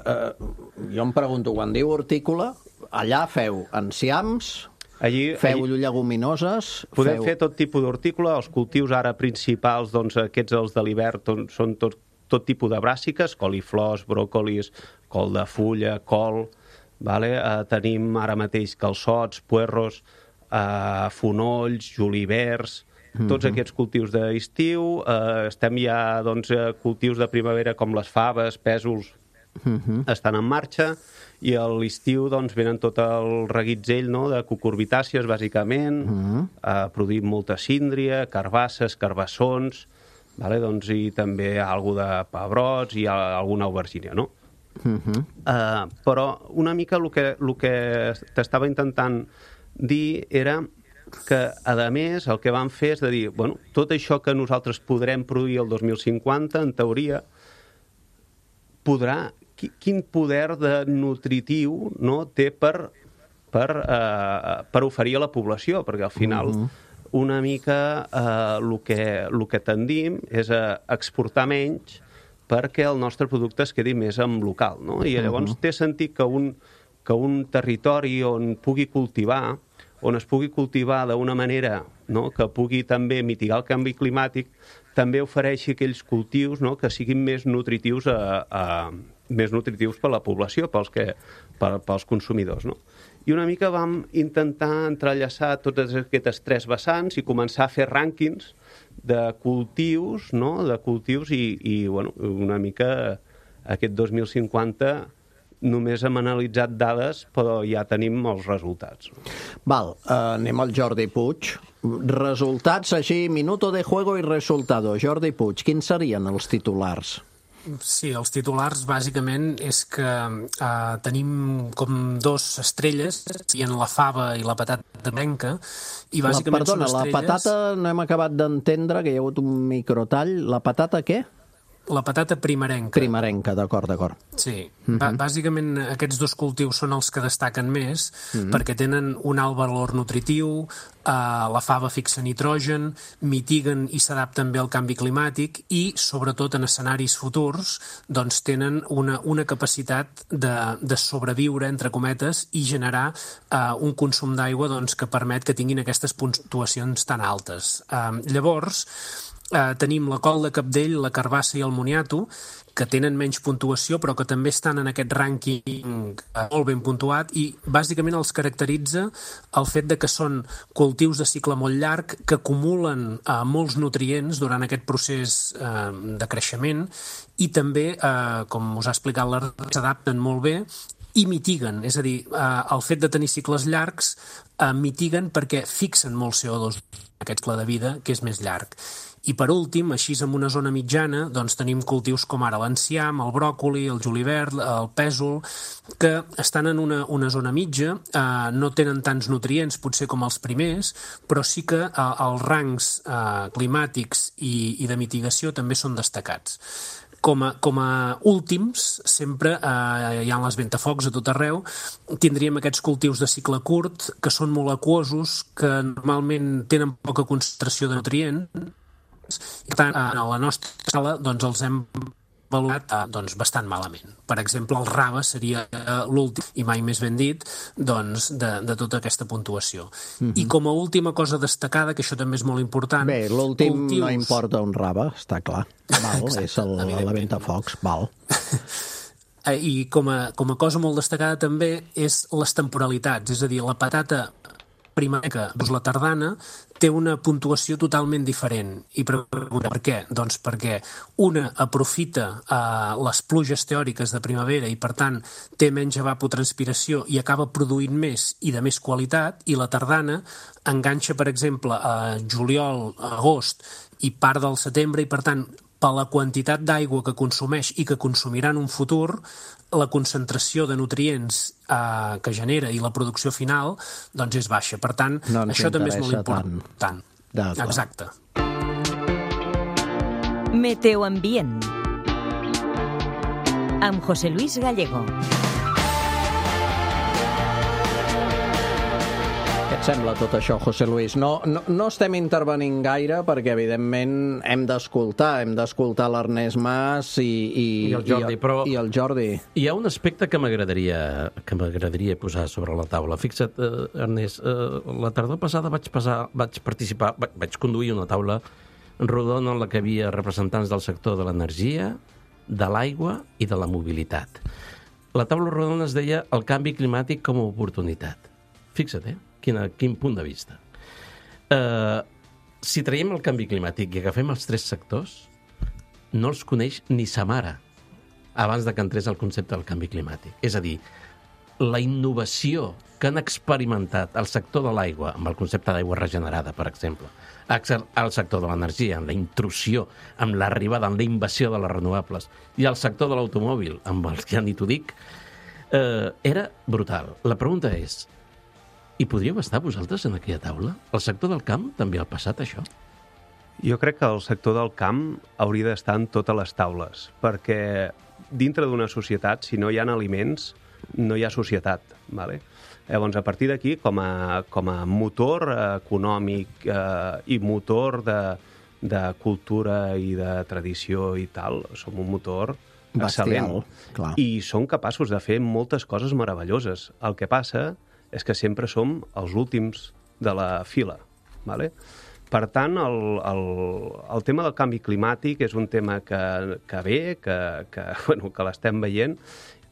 jo em pregunto, quan diu hortícola, allà feu enciams, Feu lleguminoses? Podem fer tot tipus d'hortícola. Els cultius ara principals, doncs aquests els de l'hivern, són tot tipus de bràssiques, coliflors, bròcolis, col de fulla, col. Tenim ara mateix calçots, puerros, fonolls, julivers, tots aquests cultius d'estiu. Estem ja, doncs, cultius de primavera com les faves, pèsols, estan en marxa, i a l'estiu doncs, venen tot el reguitzell, no?, de cucurbitàcies, bàsicament. Produïm molta síndria, carbasses, carbassons, doncs, i també alguna de pebrots i alguna aubergínia, no? Però una mica el que t'estava intentant dir era que, a més, el que vam fer és de dir, bueno, tot això que nosaltres podrem produir el 2050, en teoria, quin poder de nutritiu, no, té per oferir a la població, perquè al final una mica el que tendim és a exportar menys perquè el nostre producte es quedi més en local, no? I llavors té sentit que un territori on es pugui cultivar d'una manera, no?, que pugui també mitigar el canvi climàtic, també ofereixi aquells cultius, no?, que siguin més nutritius per la població, pels consumidors, no? I una mica vam intentar entrellaçar totes aquestes tres vessants i començar a fer rànquings de cultius, no?, i bueno, una mica aquest 2050 només hem analitzat dades, però ja tenim els resultats. Val, anem al Jordi Puig. Resultats així, minuto de juego i resultado. Jordi Puig, quins serien els titulars? Sí, els titulars bàsicament és que tenim com dos estrelles, i en la fava i la patata blanca, i bàsicament Perdona, són estrelles... la patata no hem acabat d'entendre, que hi ha hagut un microtall. La patata què? La patata primerenca. Primerenca, d'acord. Sí. Bàsicament aquests dos cultius són els que destaquen més perquè tenen un alt valor nutritiu, la fava fixa nitrogen, mitiguen i s'adapten bé al canvi climàtic i, sobretot en escenaris futurs, doncs tenen una capacitat de sobreviure, entre cometes, i generar un consum d'aigua doncs, que permet que tinguin aquestes puntuacions tan altes. Llavors, tenim la col de cabdell, la carbassa i el moniato, que tenen menys puntuació però que també estan en aquest rànquing molt ben puntuat, i bàsicament els caracteritza el fet de que són cultius de cicle molt llarg que acumulen molts nutrients durant aquest procés de creixement i també, com us ha explicat l'Ernest, s'adapten molt bé i mitiguen, és a dir, el fet de tenir cicles llargs mitiguen perquè fixen molt CO2 en aquest cicle de vida, que és més llarg. I per últim, així en una zona mitjana, doncs tenim cultius com ara l'enciam, el bròcoli, el julivert, el pèsol, que estan en una zona mitja, no tenen tants nutrients potser com els primers, però sí que els rangs climàtics i de mitigació també són destacats. Com a últims, sempre hi ha les ventafocs a tot arreu, tindríem aquests cultius de cicle curt, que són molt aquosos, que normalment tenen poca concentració de nutrients, i per tant, a la nostra escala doncs, els hem valorat bastant malament. Per exemple, el rave seria l'últim, i mai més ben dit, doncs, de tota aquesta puntuació. I com a última cosa destacada, que això també és molt important... Bé, l'últim no importa un rave, està clar. Val, és la ventafocs, val. I com a cosa molt destacada també és les temporalitats, és a dir, la patata primerenca, doncs la tardana, té una puntuació totalment diferent. I per què? Doncs perquè una aprofita les pluges teòriques de primavera i, per tant, té menys evapotranspiració i acaba produint més i de més qualitat, i la tardana enganxa, per exemple, a juliol, agost i part del setembre, i, per tant, per la quantitat d'aigua que consumeix i que consumirà en un futur, la concentració de nutrients que genera i la producció final doncs és baixa. Per tant, això també és molt important. Exacte. Meteoambient amb José Luis Gallego. Aquest Sembla tot això, José Luis. No estem intervenint gaire perquè, evidentment, hem d'escoltar l'Ernest Mas i el Jordi. Hi ha un aspecte que m'agradaria posar sobre la taula. Fixa't, Ernest, la tardor passada vaig conduir una taula rodona en la que hi havia representants del sector de l'energia, de l'aigua i de la mobilitat. La taula rodona es deia el canvi climàtic com a oportunitat. Fixa't, quin punt de vista. Si traiem el canvi climàtic i agafem els tres sectors, no els coneix ni sa mare abans de que entrés el concepte del canvi climàtic. És a dir, la innovació que han experimentat el sector de l'aigua, amb el concepte d'aigua regenerada, per exemple, el sector de l'energia, amb la intrusió, amb l'arribada, amb la invasió de les renovables, i el sector de l'automòbil, amb el que ja ni t'ho dic, era brutal. La pregunta és, hi podríeu estar vosaltres en aquella taula? El sector del camp també ha passat això? Jo crec que el sector del camp hauria d'estar en totes les taules, perquè dintre d'una societat, si no hi ha aliments, no hi ha societat. Vale? Llavors, a partir d'aquí, com a motor econòmic i motor de cultura i de tradició i tal, som un motor excel·lent. I som capaços de fer moltes coses meravelloses. El que passa és que sempre som els últims de la fila. Vale? Per tant, el tema del canvi climàtic és un tema que ve, que l'estem veient,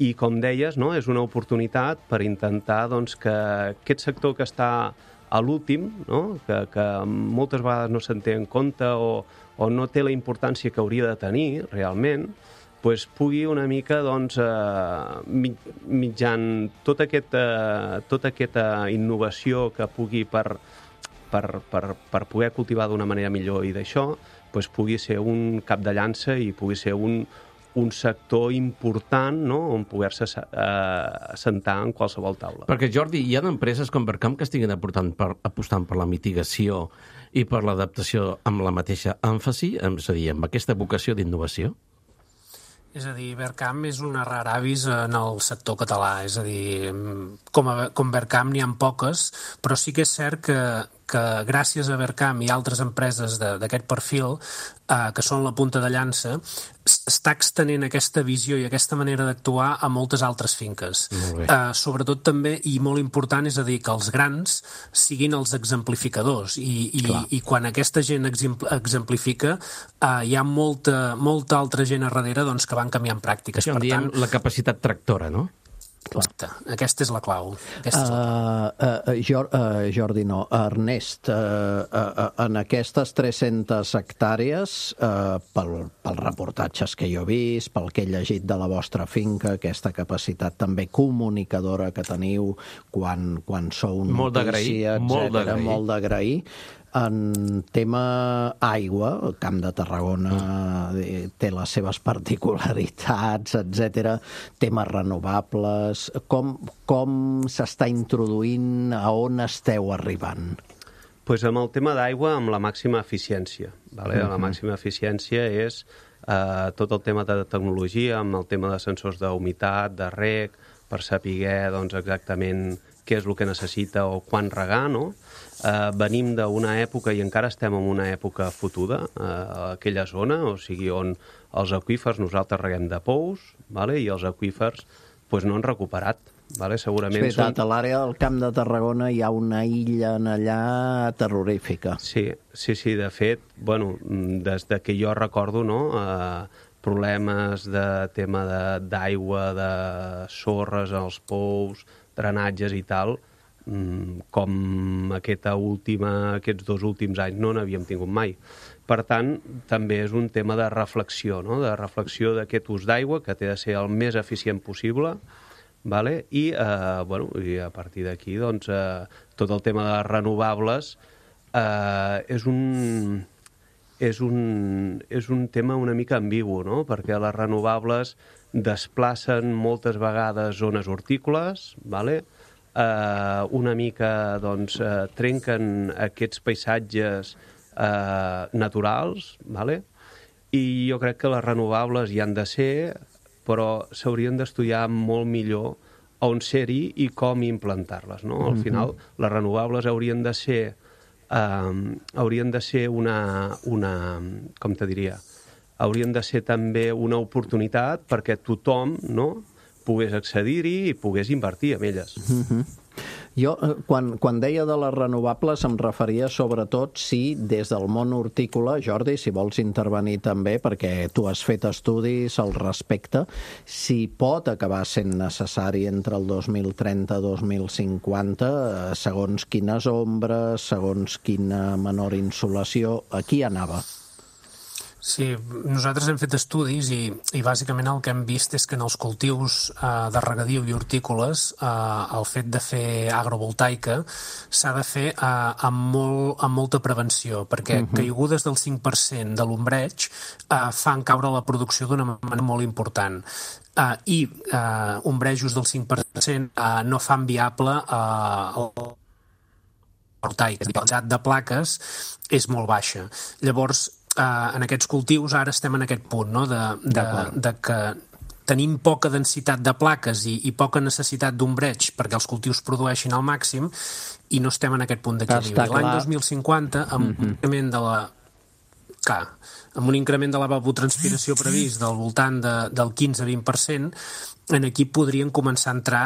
i, com deies, no, és una oportunitat per intentar que aquest sector que està a l'últim, no, que moltes vegades no se'n té en compte o no té la importància que hauria de tenir realment, pugui una mica, mitjan tota aquesta innovació que pugui per poder cultivar d'una manera millor i d'això, pugui ser un cap de llança i pugui ser un sector important, no?, on poder-se assentar en qualsevol taula. Perquè, Jordi, hi ha empreses com Vercam que estiguin apostant per la mitigació i per l'adaptació amb la mateixa èmfasi, és a dir, amb aquesta vocació d'innovació? És a dir, Vercam és una rara avis en el sector català. És a dir, com Vercam n'hi ha poques, però sí que és cert que gràcies a Vercam i altres empreses d'aquest perfil, que són la punta de llança, està extenent aquesta visió i aquesta manera d'actuar a moltes altres finques. Sobretot també, i molt important, és a dir, que els grans siguin els exemplificadors. I quan aquesta gent exemplifica, hi ha molta altra gent a darrere que van canviant pràctiques. Això en diem la capacitat tractora, no? Exacte. Aquesta és la clau. Jordi, no. Ernest, en aquestes 300 hectàrees, pels reportatges que jo he vist, pel que he llegit de la vostra finca, aquesta capacitat també comunicadora que teniu quan sou notícia, etcètera, molt d'agrair. En tema aigua, el Camp de Tarragona té les seves particularitats, etc. Temes renovables. Com s'està introduint, a on esteu arribant? Doncs amb el tema d'aigua, amb la màxima eficiència. La màxima eficiència és tot el tema de tecnologia, amb el tema de sensors d'humitat, de reg, per saber exactament què és el que necessita o quan regar, no? Venim d'una època, i encara estem en una època fotuda, a aquella zona, o sigui, on els aqüífers nosaltres reguem de pous, i els aqüífers no han recuperat. Segurament és veritat, a l'àrea del Camp de Tarragona hi ha una illa allà terrorífica. Sí, de fet, des que jo recordo, problemes de tema d'aigua, de sorres als pous, drenatges i tal, com aquests 2 últims anys no n'havíem tingut mai. Per tant, també és un tema de reflexió, de reflexió d'aquest ús d'aigua, que té de ser el més eficient possible, i a partir d'aquí tot el tema de renovables és un tema una mica ambigu, perquè les renovables desplacen moltes vegades zones hortícoles, una mica trenquen aquests paisatges naturals, i jo crec que les renovables hi han de ser, però s'haurien d'estudiar molt millor on ser-hi i com implantar-les, no? Al final, les renovables haurien de ser una com te diria, haurien de ser també una oportunitat perquè tothom, no?, pogués accedir-hi i pogués invertir en elles. Jo, quan deia de les renovables, em referia sobretot si des del món hortícola, Jordi, si vols intervenir també, perquè tu has fet estudis al respecte, si pot acabar sent necessari entre el 2030 i 2050, segons quines ombres, segons quina menor insolació, aquí anava. Sí, nosaltres hem fet estudis i bàsicament el que hem vist és que en els cultius de regadiu i hortícoles el fet de fer agrovoltaica s'ha de fer amb molta prevenció, perquè caigudes del 5% de l'ombreig fan caure la producció d'una manera molt important. I ombrejos del 5% no fan viable voltaica. El xat de plaques és molt baixa. Llavors, en aquests cultius ara estem en aquest punt, no?, de que tenim poca densitat de plaques i poca necessitat d'ombreig perquè els cultius produeixin al màxim i no estem en aquest punt d'equilibri. L'any 2050, amb un increment de la evapotranspiració previst del voltant del 15-20%, aquí podrien començar a entrar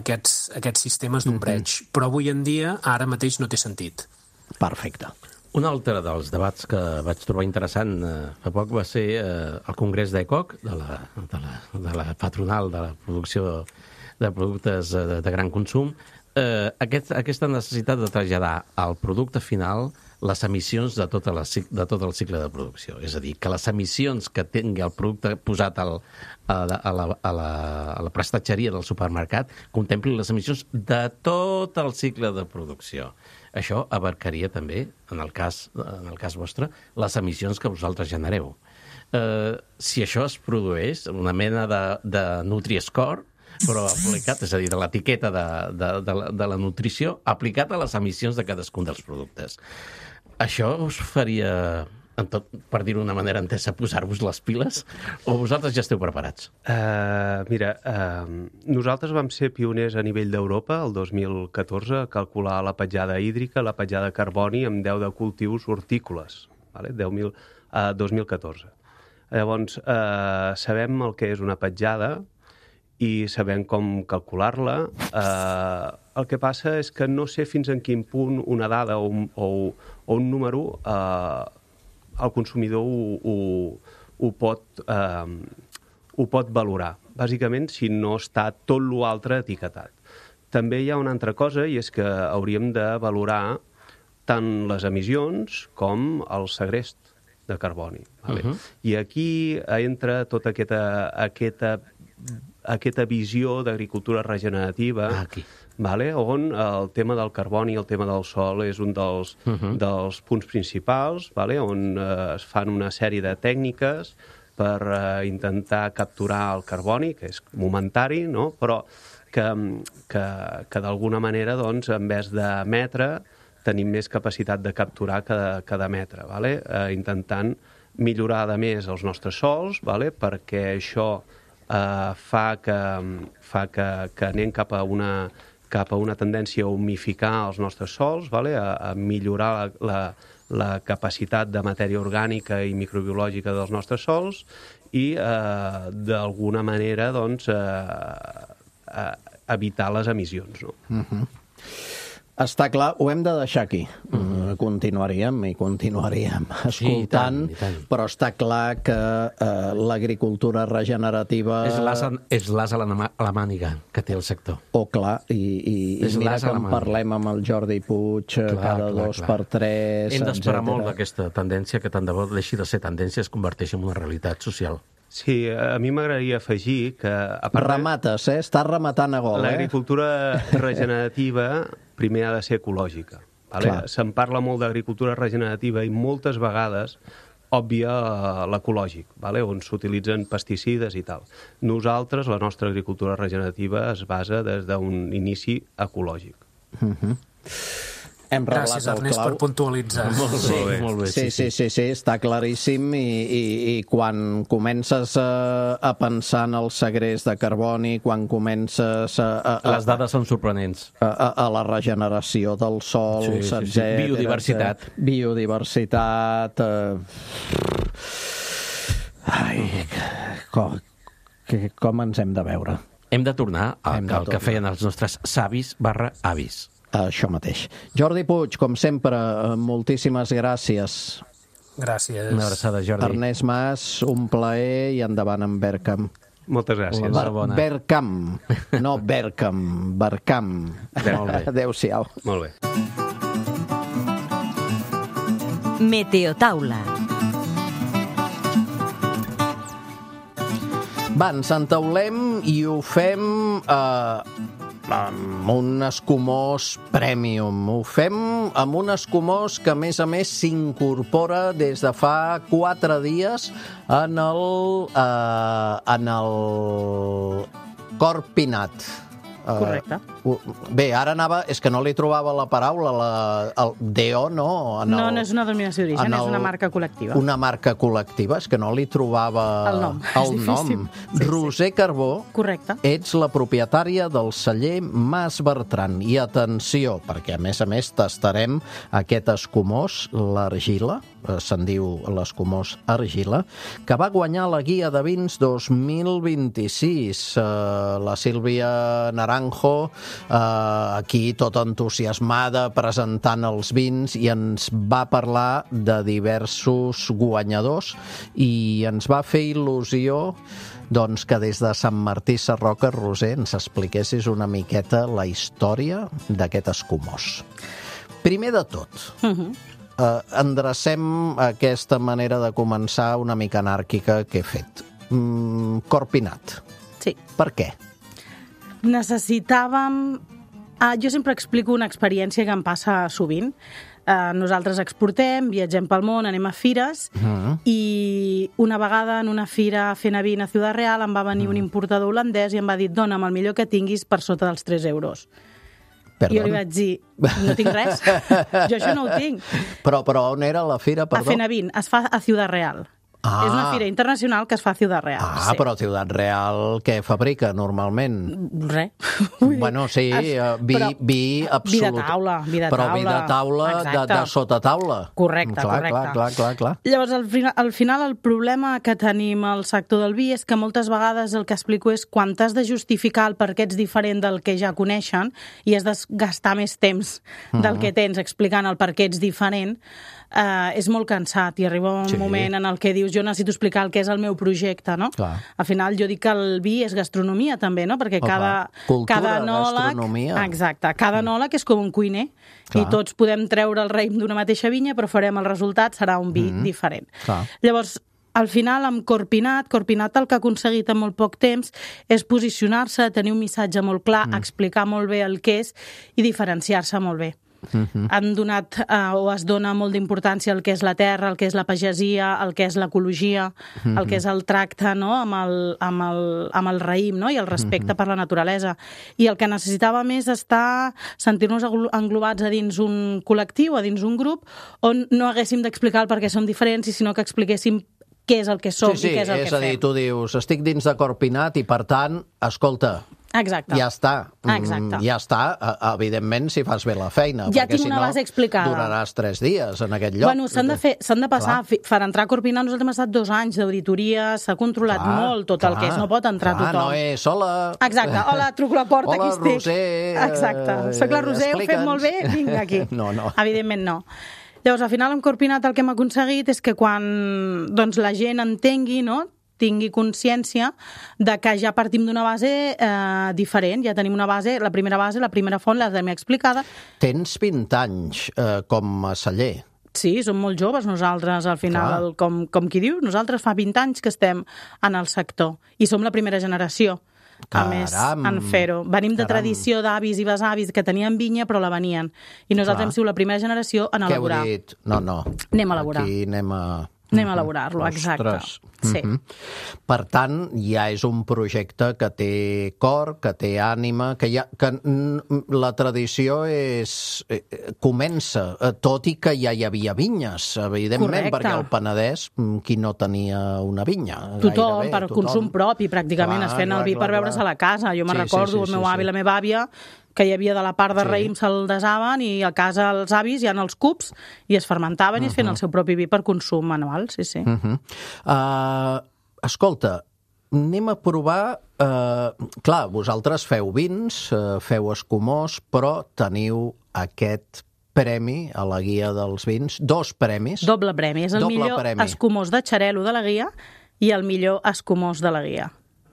aquests sistemes d'ombreig. Però avui en dia, ara mateix, no té sentit. Perfecte. Un altre dels debats que vaig trobar interessant fa poc va ser el Congrés d'ECOC, de la patronal de la producció de productes de gran consum. Aquesta necessitat de traslladar al producte final les emissions de tot el cicle de producció. És a dir, que les emissions que tingui el producte posat a la prestatgeria del supermercat contemplin les emissions de tot el cicle de producció. Això abarcaria també, en el cas vostre, les emissions que vosaltres genereu. Si això es produeix, una mena de Nutri-Score, però aplicat, és a dir, de l'etiqueta de la nutrició, aplicat a les emissions de cadascun dels productes. Això us faria, per dir-ho d'una manera entesa, posar-vos les piles, o vosaltres ja esteu preparats? Mira, nosaltres vam ser pioners a nivell d'Europa el 2014 a calcular la petjada hídrica, la petjada de carboni amb 10 de cultius hortícoles, 2014. Llavors, sabem el que és una petjada i sabem com calcular-la. El que passa és que no sé fins en quin punt una dada o un número el consumidor ho pot valorar. Bàsicament, si no està tot l'altre etiquetat. També hi ha una altra cosa, i és que hauríem de valorar tant les emissions com el segrest de carboni. I aquí entra tota aquesta visió d'agricultura regenerativa, on el tema del carboni i el tema del sòl és un dels punts principals, on es fan una sèrie de tècniques per intentar capturar el carboni, que és momentari, però que d'alguna manera, en vez d'emetre, tenim més capacitat de capturar que d'emetre, intentant millorar, a més, els nostres sòls, perquè això fa que anem cap a una tendència a humificar els nostres sòls, a millorar la capacitat de matèria orgànica i microbiològica dels nostres sòls i, d'alguna manera, evitar les emissions. Està clar, ho hem de deixar aquí. Continuaríem escoltant, però està clar que l'agricultura regenerativa... És l'as a la màniga que té el sector. Clar, i mira que en parlem amb el Jordi Puig cada 2x3... Hem d'esperar molt d'aquesta tendència, que tant de bo deixi de ser tendència, es converteix en una realitat social. Sí, a mi m'agradaria afegir que... Remates, estàs rematant a gol. L'agricultura regenerativa primer ha de ser ecològica. Se'n parla molt d'agricultura regenerativa i moltes vegades òbvia l'ecològic, on s'utilitzen pesticides i tal. Nosaltres, la nostra agricultura regenerativa es basa des d'un inici ecològic. Hem Gràcies, Ernest, per puntualitzar. Molt bé. Sí, està claríssim i quan comences a pensar en el segrest de carboni, quan comences Les dades són sorprenents. A la regeneració dels sols, etcètera. Biodiversitat. Biodiversitat. Com ens hem de veure? Hem de tornar al que feien els nostres savis/avis. Això mateix. Jordi Puig, com sempre, moltíssimes gràcies. Gràcies. Una abraçada, Jordi. Ernest Mas, un plaer i endavant amb Bergkamp. Moltes gràcies. Enhorabona. Bergkamp, no Bergkamp, Bergkamp. Molt bé. Adéu-siau. Molt bé. Meteotaula. Va, ens entaulem i ho fem amb un escumós premium. Ho fem amb un escumós que, a més, s'incorpora des de fa 4 dies en el Corpinat. Correcte. Bé, ara anava... És que no li trobava la paraula, el DO, no? No és una denominació d'origen, és una marca col·lectiva. Una marca col·lectiva, és que no li trobava... El nom, és difícil. Roser Carbó, correcte. Ets la propietària del celler Mas Bertran. I atenció, perquè a més tastarem aquest escumós, l'argila, se'n diu l'escumós argila, que va guanyar la Guia de Vins 2026. La Sílvia Naranjo, aquí tot entusiasmada presentant els vins, i ens va parlar de diversos guanyadors i ens va fer il·lusió doncs que des de Sant Martí Sarroca, Roser, ens expliquessis una miqueta la història d'aquest escumós. Primer de tot, endrecem aquesta manera de començar una mica anàrquica que he fet. Corpinat. Sí. Per què? Necessitàvem... Jo sempre explico una experiència que em passa sovint. Nosaltres exportem, viatgem pel món, anem a fires, i una vegada en una fira fent a vin a Ciudad Real em va venir un importador holandès i em va dir: dona'm el millor que tinguis per sota dels 3 euros. Perdó? I jo li vaig dir: no tinc res, jo això no ho tinc. Però on era la fira, perdó? A fent a vin, es fa a Ciudad Real. És una fira internacional que es fa a Ciudad Real. Sí. Però Ciudad Real què fabrica normalment? Res. Bueno, sí, vi absolut. Vi de taula. Però vi de taula, de sota taula. Correcte. Clar. Llavors, al final, el problema que tenim al sector del vi és que moltes vegades el que explico és quan t'has de justificar el per què ets diferent del que ja coneixen i has de gastar més temps del que tens explicant el per què ets diferent, és molt cansat i arriba un moment en el que dius: jo necessito explicar el que és el meu projecte, no? Clar. Al final jo dic que el vi és gastronomia també, no? Perquè cada enòleg... gastronomia. Exacte, cada enòleg és com un cuiner. Clar. I tots podem treure el raïm d'una mateixa vinya, però farem el resultat, serà un vi diferent. Clar. Llavors, al final, amb Corpinat el que ha aconseguit en molt poc temps és posicionar-se, tenir un missatge molt clar, explicar molt bé el que és i diferenciar-se molt bé. Han donat o es dona molt d'importància al que és la terra, al que és la pagesia, al que és l'ecologia, al que és el tracte, no? amb el raïm, no? I el respecte per la naturalesa. I el que necessitàvem és sentir-nos englobats a dins un col·lectiu, a dins un grup, on no haguéssim d'explicar el per què som diferents, sinó que expliquéssim què és el que som i què és el que fem. És a dir, tu dius: estic dins de Corpinat i, per tant, escolta... Exacte. Ja està. Evidentment, si fas bé la feina. Ja tinc una base explicada. Duraràs 3 dies en aquest lloc. Bueno, s'han de passar. Per entrar a Corpinat nosaltres hem estat 2 anys d'auditoria, s'ha controlat molt tot el que és, no pot entrar tothom. No és, hola... Exacte, hola, truco a la porta, aquí estic. Hola, Roser... Exacte, soc la Roser, ho fem molt bé, vinc aquí. No. Evidentment no. Llavors, al final, amb Corpinat el que hem aconseguit és que quan la gent entengui, no?, tingui consciència de que ja partim d'una base diferent. Ja tenim una base, la primera font la tenim explicada. Tens 20 anys com a celler. Sí, som molt joves nosaltres, al final, com qui diu. Nosaltres fa 20 anys que estem en el sector i som la primera generació. A més, en fer-ho. Venim de tradició d'avis i besavis que tenien vinya, però la venien. I nosaltres hem sigut la primera generació en elaborar. Què heu dit? No. Anem a elaborar. Aquí anem a elaborar-lo, exacte. Sí. Per tant, ja és un projecte que té cor, que té ànima, que la tradició comença, tot i que ja hi havia vinyes, evidentment, perquè al Penedès, qui no tenia una vinya? Tothom, per consum propi, pràcticament, es feien el vi per beure's a la casa. Jo me'n recordo, el meu avi i la meva àvia, que hi havia de la part de raïm se'l desaven i a casa els avis hi ha els cups i es fermentaven i es feien el seu propi vi per consum manual, sí. Escolta, anem a provar... clar, vosaltres feu vins, feu escumós, però teniu aquest premi a la guia dels vins, 2 premis. Doble premi, és el millor escumós de xarel·lo de la guia i el millor escumós de la guia.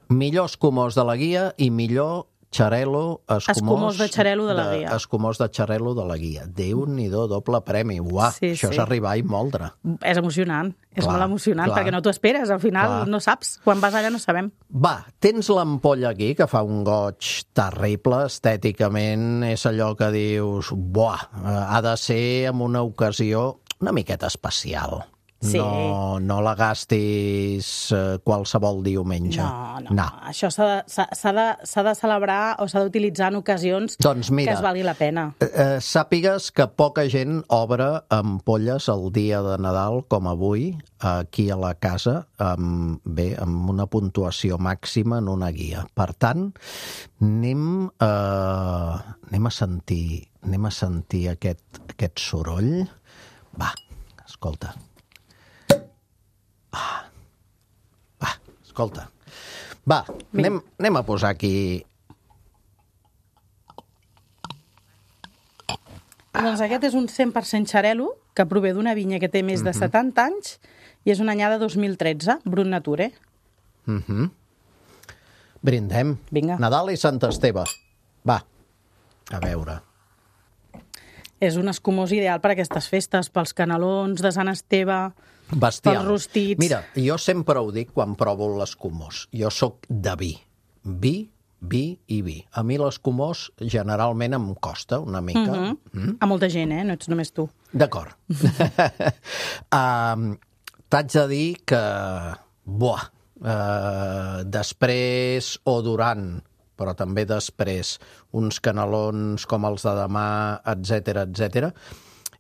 Millor escumós de la guia i millor xarel·lo, escumós de xarel·lo de la guia. Escumós de xarel·lo de la guia. Déu-n'hi-do, doble premi. Uah, això és arribar i moldre. És emocionant, és molt emocionant, perquè no t'ho esperes, al final no saps. Quan vas allà no sabem. Va, tens l'ampolla aquí, que fa un goig terrible, estèticament, és allò que dius, buah, ha de ser en una ocasió una miqueta especial. Sí. No la gastis qualsevol diumenge. No. Això s'ha de celebrar o s'ha d'utilitzar en ocasions que es valgui la pena. Sàpigues que poca gent obre ampolles el dia de Nadal, com avui, aquí a la casa, amb una puntuació màxima en una guia. Per tant, anem a sentir aquest soroll. Va, escolta. Escolta. Va, anem a posar aquí... Doncs aquest és un 100% xarel·lo que prové d'una vinya que té més de 70 anys i és una anyada 2013, Brut Nature. Brindem. Vinga. Nadal i Sant Esteve. Va, a veure. És un escumós ideal per a aquestes festes, pels canelons de Sant Esteve... Bestial. Pels rostits. Mira, jo sempre ho dic quan provo l'escumós. Jo sóc de vi. Vi i vi. A mi l'escumós generalment em costa una mica. A molta gent, no ets només tu. D'acord. T'haig de dir que, després o durant, però també després, uns canelons com els de demà, etc.,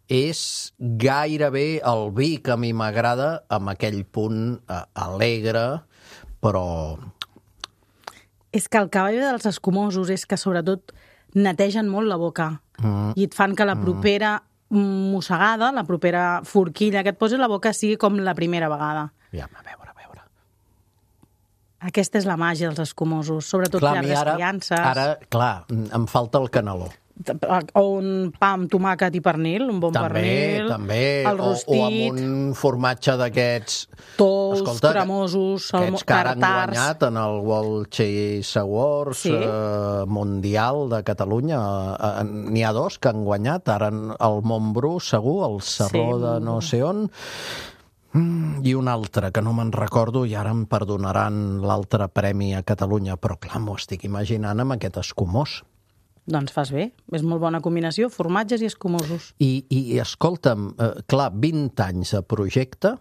és gairebé el vi que a mi m'agrada, amb aquell punt alegre, però... És que el cavall dels escumosos és que sobretot netegen molt la boca i et fan que la propera mossegada, la propera forquilla que et posi a la boca sigui com la primera vegada. Ja, a veure. Aquesta és la màgia dels escumosos, sobretot llargues criances. Ara, clar, em falta el caneló. O un pa amb tomàquet i pernil, un bon pernil. També. El rostit. O amb un formatge d'aquests... Tous, cremosos, aquests que ara han guanyat en el World Cheese Awards Mundial de Catalunya. N'hi ha 2 que han guanyat, ara el Montbrú, segur, el Serró de no sé on... I un altre, que no me'n recordo, i ara em perdonaran l'altre premi a Catalunya, però clar, m'ho estic imaginant amb aquest escumós. Doncs fas bé, és molt bona combinació, formatges i escumosos. I escolta'm, clar, 20 anys de projecte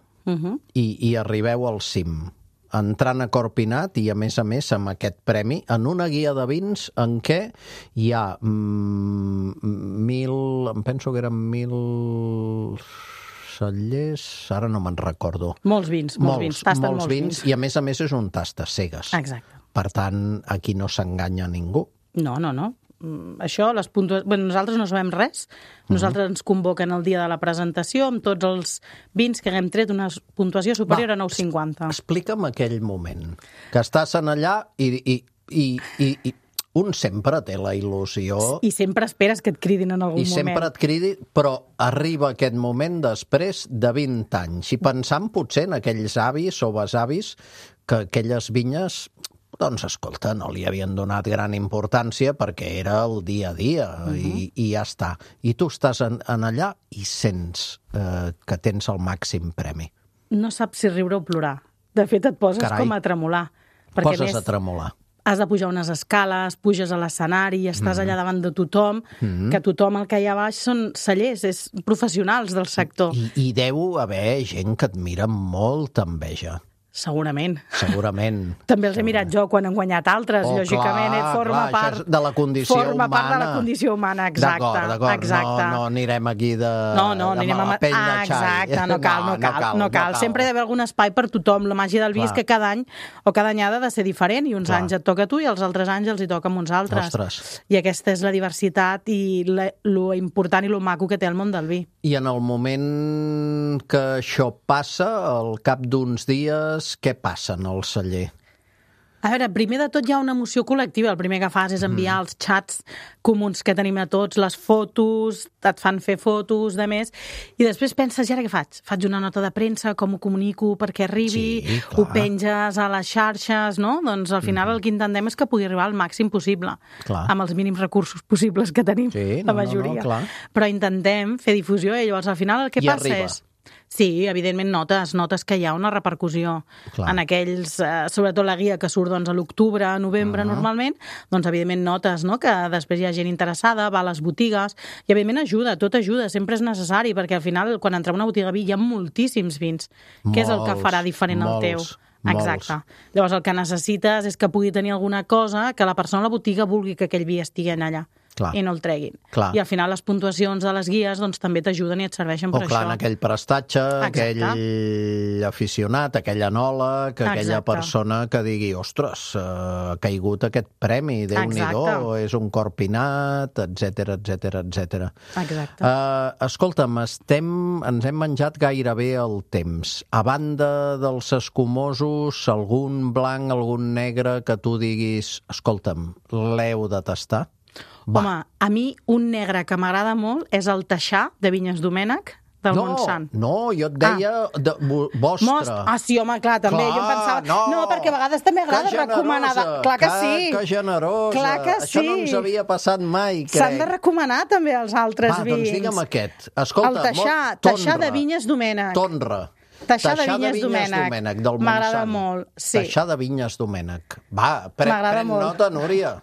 i arribeu al cim, entrant a Corpinat i a més amb aquest premi, en una guia de vins en què hi ha em penso que eren 1.000... cellers, ara no me'n recordo. Molts vins, tasten molts vins. I a més és un tastes cegues. Exacte. Per tant, aquí no s'enganya ningú. No. Això, nosaltres no sabem res. Nosaltres ens convoquen el dia de la presentació amb tots els vins que haguem tret una puntuació superior a 9,50. Explica'm aquell moment, que estàs en allà i un sempre té la il·lusió... I sempre esperes que et cridin en algun moment. I sempre et cridi, però arriba aquest moment després de 20 anys. I pensant potser en aquells avis o besavis que aquelles vinyes, doncs, escolta, no li havien donat gran importància perquè era el dia a dia i ja està. I tu estàs en allà i sents que tens el màxim premi. No saps si riure o plorar. De fet, et poses com a tremolar. Poses a tremolar. Has de pujar unes escales, puges a l'escenari i estàs allà davant de tothom, que tothom el que hi ha baix són cellers, és professionals del sector. I deu haver gent que et mira amb molta enveja. Segurament. També els he mirat jo quan han guanyat altres, lògicament, forma part de la condició humana. Forma part de la condició humana, exacte. D'acord. No anirem aquí de mala pell de xai. Exacte, no cal. Sempre hi ha d'haver algun espai per tothom. La màgia del vi és que cada any ha de ser diferent i uns anys et toca a tu i els altres anys els hi toca a uns altres. I aquesta és la diversitat i lo important i lo maco que té el món del vi. I en el moment que això passa, al cap d'uns dies, què passa en el celler? A veure, primer de tot hi ha una emoció col·lectiva. El primer que fas és enviar els xats comuns que tenim a tots, les fotos, et fan fer fotos, de més, i després penses, i ara què faig? Faig una nota de premsa, com ho comunico perquè arribi, ho penges a les xarxes, no? Doncs al final el que intentem és que pugui arribar al màxim possible, amb els mínims recursos possibles que tenim, la majoria. Però intentem fer difusió i llavors al final el que passa és... Sí, evidentment notes que hi ha una repercussió en aquells, sobretot la guia que surt a l'octubre, novembre normalment, doncs evidentment notes que després hi ha gent interessada, va a les botigues, i evidentment tot ajuda, sempre és necessari, perquè al final quan entrem a una botiga de vi hi ha moltíssims vins, que és el que farà diferent el teu. Exacte. Llavors el que necessites és que pugui tenir alguna cosa que la persona a la botiga vulgui que aquell vi estigui allà. I no el treguin. I al final les puntuacions de les guies doncs, també t'ajuden i et serveixen per això. En aquell prestatge, aquell aficionat, aquell enòleg, aquella persona que digui, ostres, ha caigut aquest premi, Déu-n'hi-do, és un corpinat, etc. Exacte. Escolta'm, ens hem menjat gairebé el temps. A banda dels escumosos, algun blanc, algun negre que tu diguis, escolta'm, l'heu de tastar? Home, a mi un negre que m'agrada molt és el Taixà de Vinyes Domènec del Montsant. No, jo et deia vostre. Sí, home, clar, també. Jo pensava... No, perquè a vegades també agrada recomanar... Clar que sí. Que generosa. Clar que sí. Això no ens havia passat mai, crec. S'han de recomanar també els altres vins. Va, doncs digue'm aquest. Escolta, el Taixà de Vinyes Domènec. Tonra. Taixà de Vinyes Domènec. M'agrada molt. Taixà de Vinyes Domènec. Va, pren nota, Núria.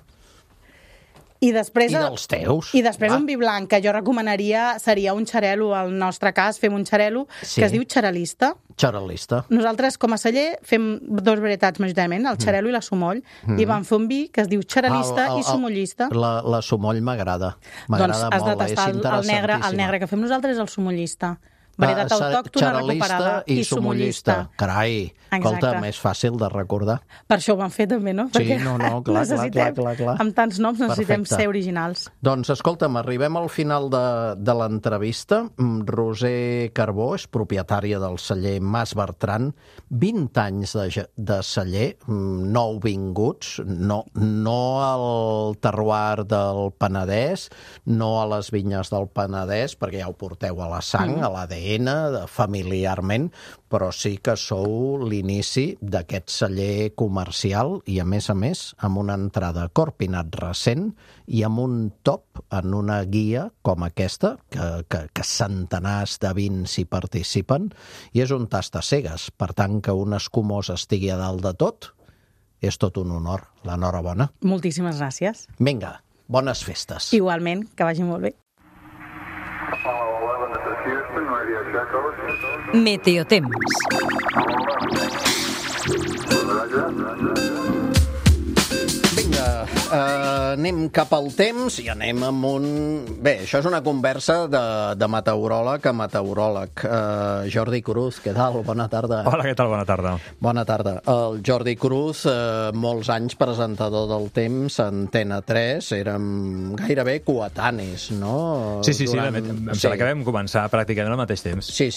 I després dels teus. I després un vi blanc que jo recomanaria seria un xarel·lo. Al nostre cas fem un xarel·lo que es diu xarelista. Nosaltres, com a celler, fem dos varietats majoritàriament, el xarel·lo i la sumoll, i vam fer un vi que es diu xarelista i sumollista. La sumoll m'agrada. Doncs has de tastar el negre que fem nosaltres és el sumollista. Varietat autòctona recuperada i sumollista. Carai, escolta, més fàcil de recordar. Per això ho van fer també, no? Sí, clar. Amb tants noms necessitem ser originals. Doncs escolta'm, arribem al final de l'entrevista. Roser Carbó és propietària del celler Mas Bertran, 20 anys de celler, nouvinguts, no al terroir del Penedès, no a les vinyes del Penedès, perquè ja ho porteu a la sang, a l'ADN, familiarment, però sí que sou l'inici d'aquest celler comercial i, a més, amb una entrada Corpinat recent i amb un top en una guia com aquesta, que centenars de vins hi participen, i és un tast a cegues. Per tant, que un escumós estigui a dalt de tot, és tot un honor. L'enhorabona. Moltíssimes gràcies. Vinga, bones festes. Igualment, que vagi molt bé. Meteotemps. Vinga, anem cap al temps i anem amb un... Bé, això és una conversa de meteoròleg a meteoròleg. Jordi Cruz, què tal? Bona tarda. Hola, què tal? Bona tarda. Bona tarda. El Jordi Cruz, molts anys presentador del temps a Antena 3, érem gairebé coetanis, no? Sí, em sembla que vam començar pràcticament al mateix temps. Sí.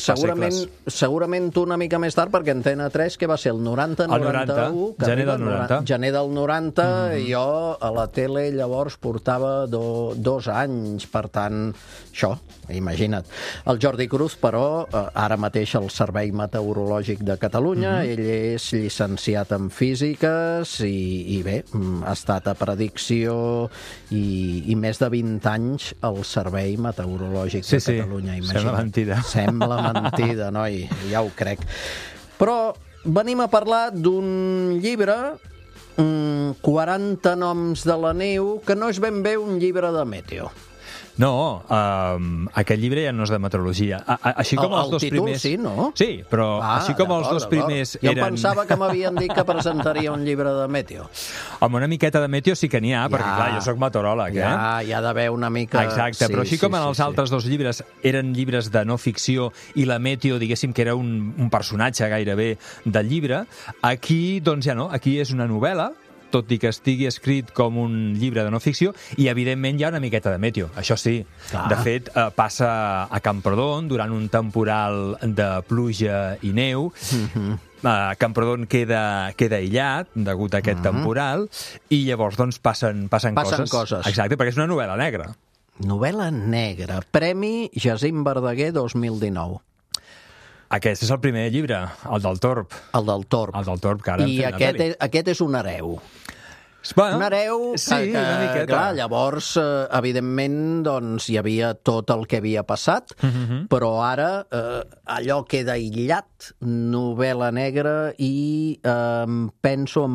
Segurament tu una mica més tard, perquè Antena 3, que va ser el 90-91? Gener del 90. Gener del 90, i jo a la tele llavors portava 2 anys, per tant, això, imagina't. El Jordi Cruz, però, ara mateix al Servei Meteorològic de Catalunya, ell és llicenciat en físiques i bé, ha estat a predicció i més de 20 anys al Servei Meteorològic de Catalunya. Imagina't. Sembla mentida, noi, ja ho crec. Però venim a parlar d'un llibre, 40 noms de la neu, que no és ben bé un llibre de meteo. No, aquest llibre ja no és de meteorologia. Així com els dos títol, primers... sí, no? Sí, però així com els dos primers Jo eren... pensava que m'havien dit que presentaria un llibre de meteo. Home, una miqueta de meteo sí que n'hi ha, perquè clar, jo soc meteoròleg, Hi ha d'haver una mica... Exacte, però així com en els altres dos llibres eren llibres de no ficció i la meteo, diguéssim, que era un personatge gairebé del llibre, aquí, doncs ja no, aquí és una novel·la, tot i que estigui escrit com un llibre de no ficció, i evidentment hi ha una miqueta de meteo, això sí. Clar. De fet, passa a Camprodon durant un temporal de pluja i neu. Camprodon queda aïllat degut a aquest temporal, i llavors doncs passen coses. Exacte, perquè és una novel·la negra. Novel·la negra. Premi Jacint Verdaguer 2019. Aquest és el primer llibre, el del Torb. El del Torb. El del Torb, que ara I aquest és un hereu. Bueno, un hereu sí, una miqueta. Clar, llavors, evidentment, doncs, hi havia tot el que havia passat, però ara allò queda aïllat, novel·la negra, i penso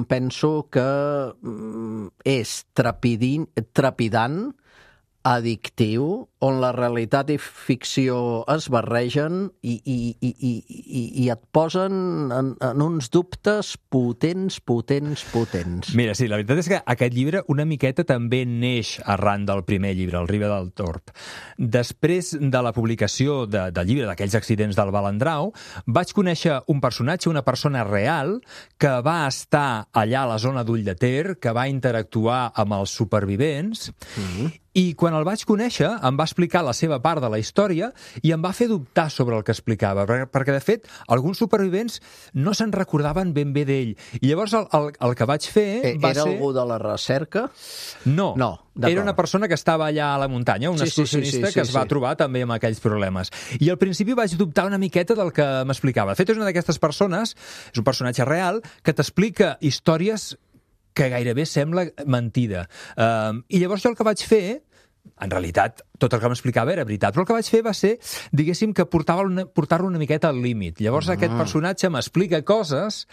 que és trepidant, addictiu, on la realitat i ficció es barregen i et posen en uns dubtes potents. Mira, sí, la veritat és que aquest llibre una miqueta també neix arran del primer llibre, El Riba del Torb. Després de la publicació del llibre d'aquells accidents del Balandrau, vaig conèixer un personatge, una persona real, que va estar allà a la zona d'Ull de Ter, que va interactuar amb els supervivents, i quan el vaig conèixer em va explicar la seva part de la història i em va fer dubtar sobre el que explicava, perquè de fet alguns supervivents no se'n recordaven ben bé d'ell. I llavors el que vaig fer va ser... Era algú de la recerca? No, era una persona que estava allà a la muntanya, un excursionista que es va trobar també amb aquells problemes. I al principi vaig dubtar una miqueta del que m'explicava. De fet, és una d'aquestes persones, és un personatge real, que t'explica històries que gairebé sembla mentida. I llavors jo el que vaig fer, en realitat, tot el que m'explicava era veritat, però el que vaig fer va ser, diguéssim, que portar-lo una miqueta al límit. Llavors aquest personatge m'explica coses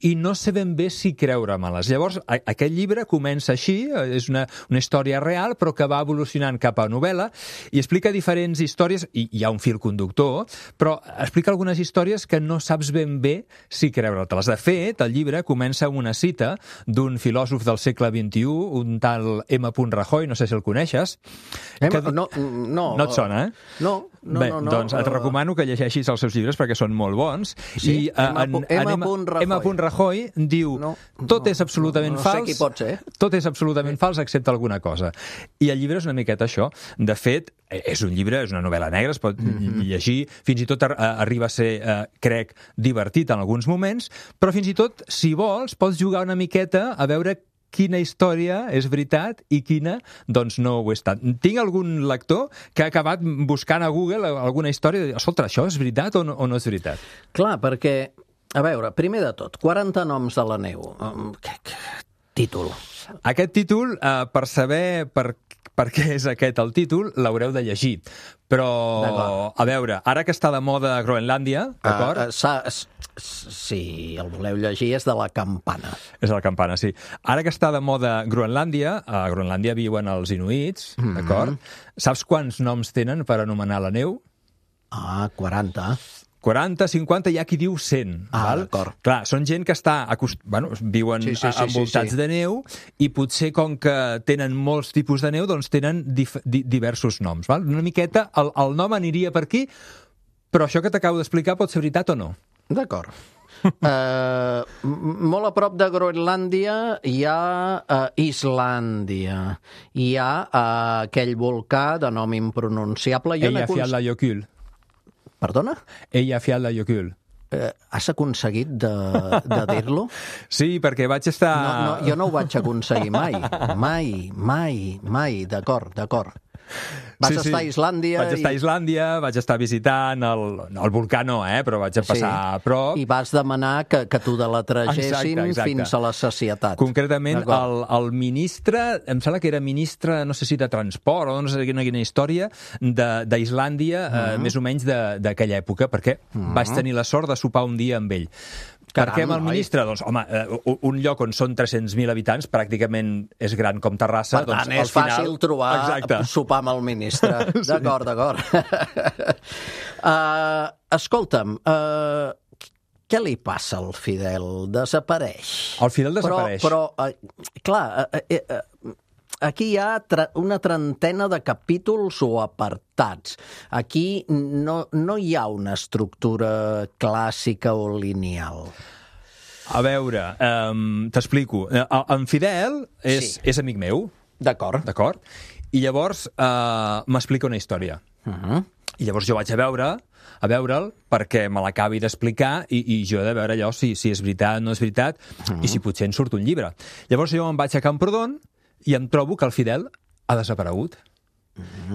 i no sé ben bé si creure-me-les. Llavors aquest llibre comença així, és una història real, però que va evolucionant cap a novel·la i explica diferents històries, i hi ha un fil conductor, però explica algunes històries que no saps ben bé si creure-te-les. De fet, el llibre comença amb una cita d'un filòsof del segle XXI, un tal M. Rajoy, no sé si el coneixes. No et sona, eh? No. Bé, doncs et recomano que llegeixis els seus llibres perquè són molt bons. Sí? M. Rajoy diu tot és absolutament fals. No sé qui pot ser. Tot és absolutament fals excepte alguna cosa. I el llibre és una miqueta això. De fet, és un llibre, és una novel·la negra, es pot llegir, fins i tot arriba a ser, crec, divertit en alguns moments, però fins i tot, si vols, pots jugar una miqueta a veure quina història és veritat i quina, doncs, no ho és tant. Tinc algun lector que ha acabat buscant a Google alguna història i dir, escolta, això és veritat o no és veritat? Clar, perquè, a veure, primer de tot, 40 noms de la neu. Títol. Aquest títol, per saber per què és aquest el títol, l'haureu de llegir. Però, a veure, ara que està de moda Groenlàndia, d'acord? Sí, el voleu llegir, és de la Campana. És de la Campana, sí. Ara que està de moda Groenlàndia, a Groenlàndia viuen els inuits, d'acord? Saps quants noms tenen per anomenar la neu? 40. 40, 50, hi ha qui diu 100. Val? D'acord. Clar, són gent que viuen envoltats de neu i potser com que tenen molts tipus de neu, doncs tenen diversos noms. Val? Una miqueta, el nom aniria per aquí, però això que t'acabo d'explicar pot ser veritat o no? D'acord. Molt a prop de Groenlàndia hi ha Islàndia. Hi ha aquell volcà de nom impronunciable. Eyjafjallajökull. Perdona? Eyjafjallajökull. Has aconseguit de dir-lo? Sí, perquè vaig estar... No, jo no ho vaig aconseguir mai. D'acord. Vas estar a Islàndia... Vaig estar a Islàndia, vaig estar visitant el volcà no, però vaig passar a prop. I vas demanar que t'ho deletregessin fins a la sacietat. Concretament, el ministre, em sembla que era ministre, no sé si de transport o no sé quina història, d'Islàndia, més o menys d'aquella època, perquè vaig tenir la sort de sopar un dia amb ell. Per què amb el ministre? Doncs, home, un lloc on són 300.000 habitants pràcticament és gran com Terrassa. Per tant, doncs, és fàcil trobar sopar amb el ministre. D'acord, d'acord. Escolta'm, què li passa al Fidel? Desapareix. El Fidel desapareix. Però clar, aquí hi ha una trentena de capítols o apartats. Aquí no hi ha una estructura clàssica o lineal. A veure, t'explico. En Fidel és amic meu. D'acord. I llavors m'explica una història. I llavors jo vaig a veure'l perquè me l'acabi d'explicar i jo he de veure allò si és veritat o no és veritat i si potser en surt un llibre. Llavors jo me'n vaig a Camprodon i em trobo que el Fidel ha desaparegut.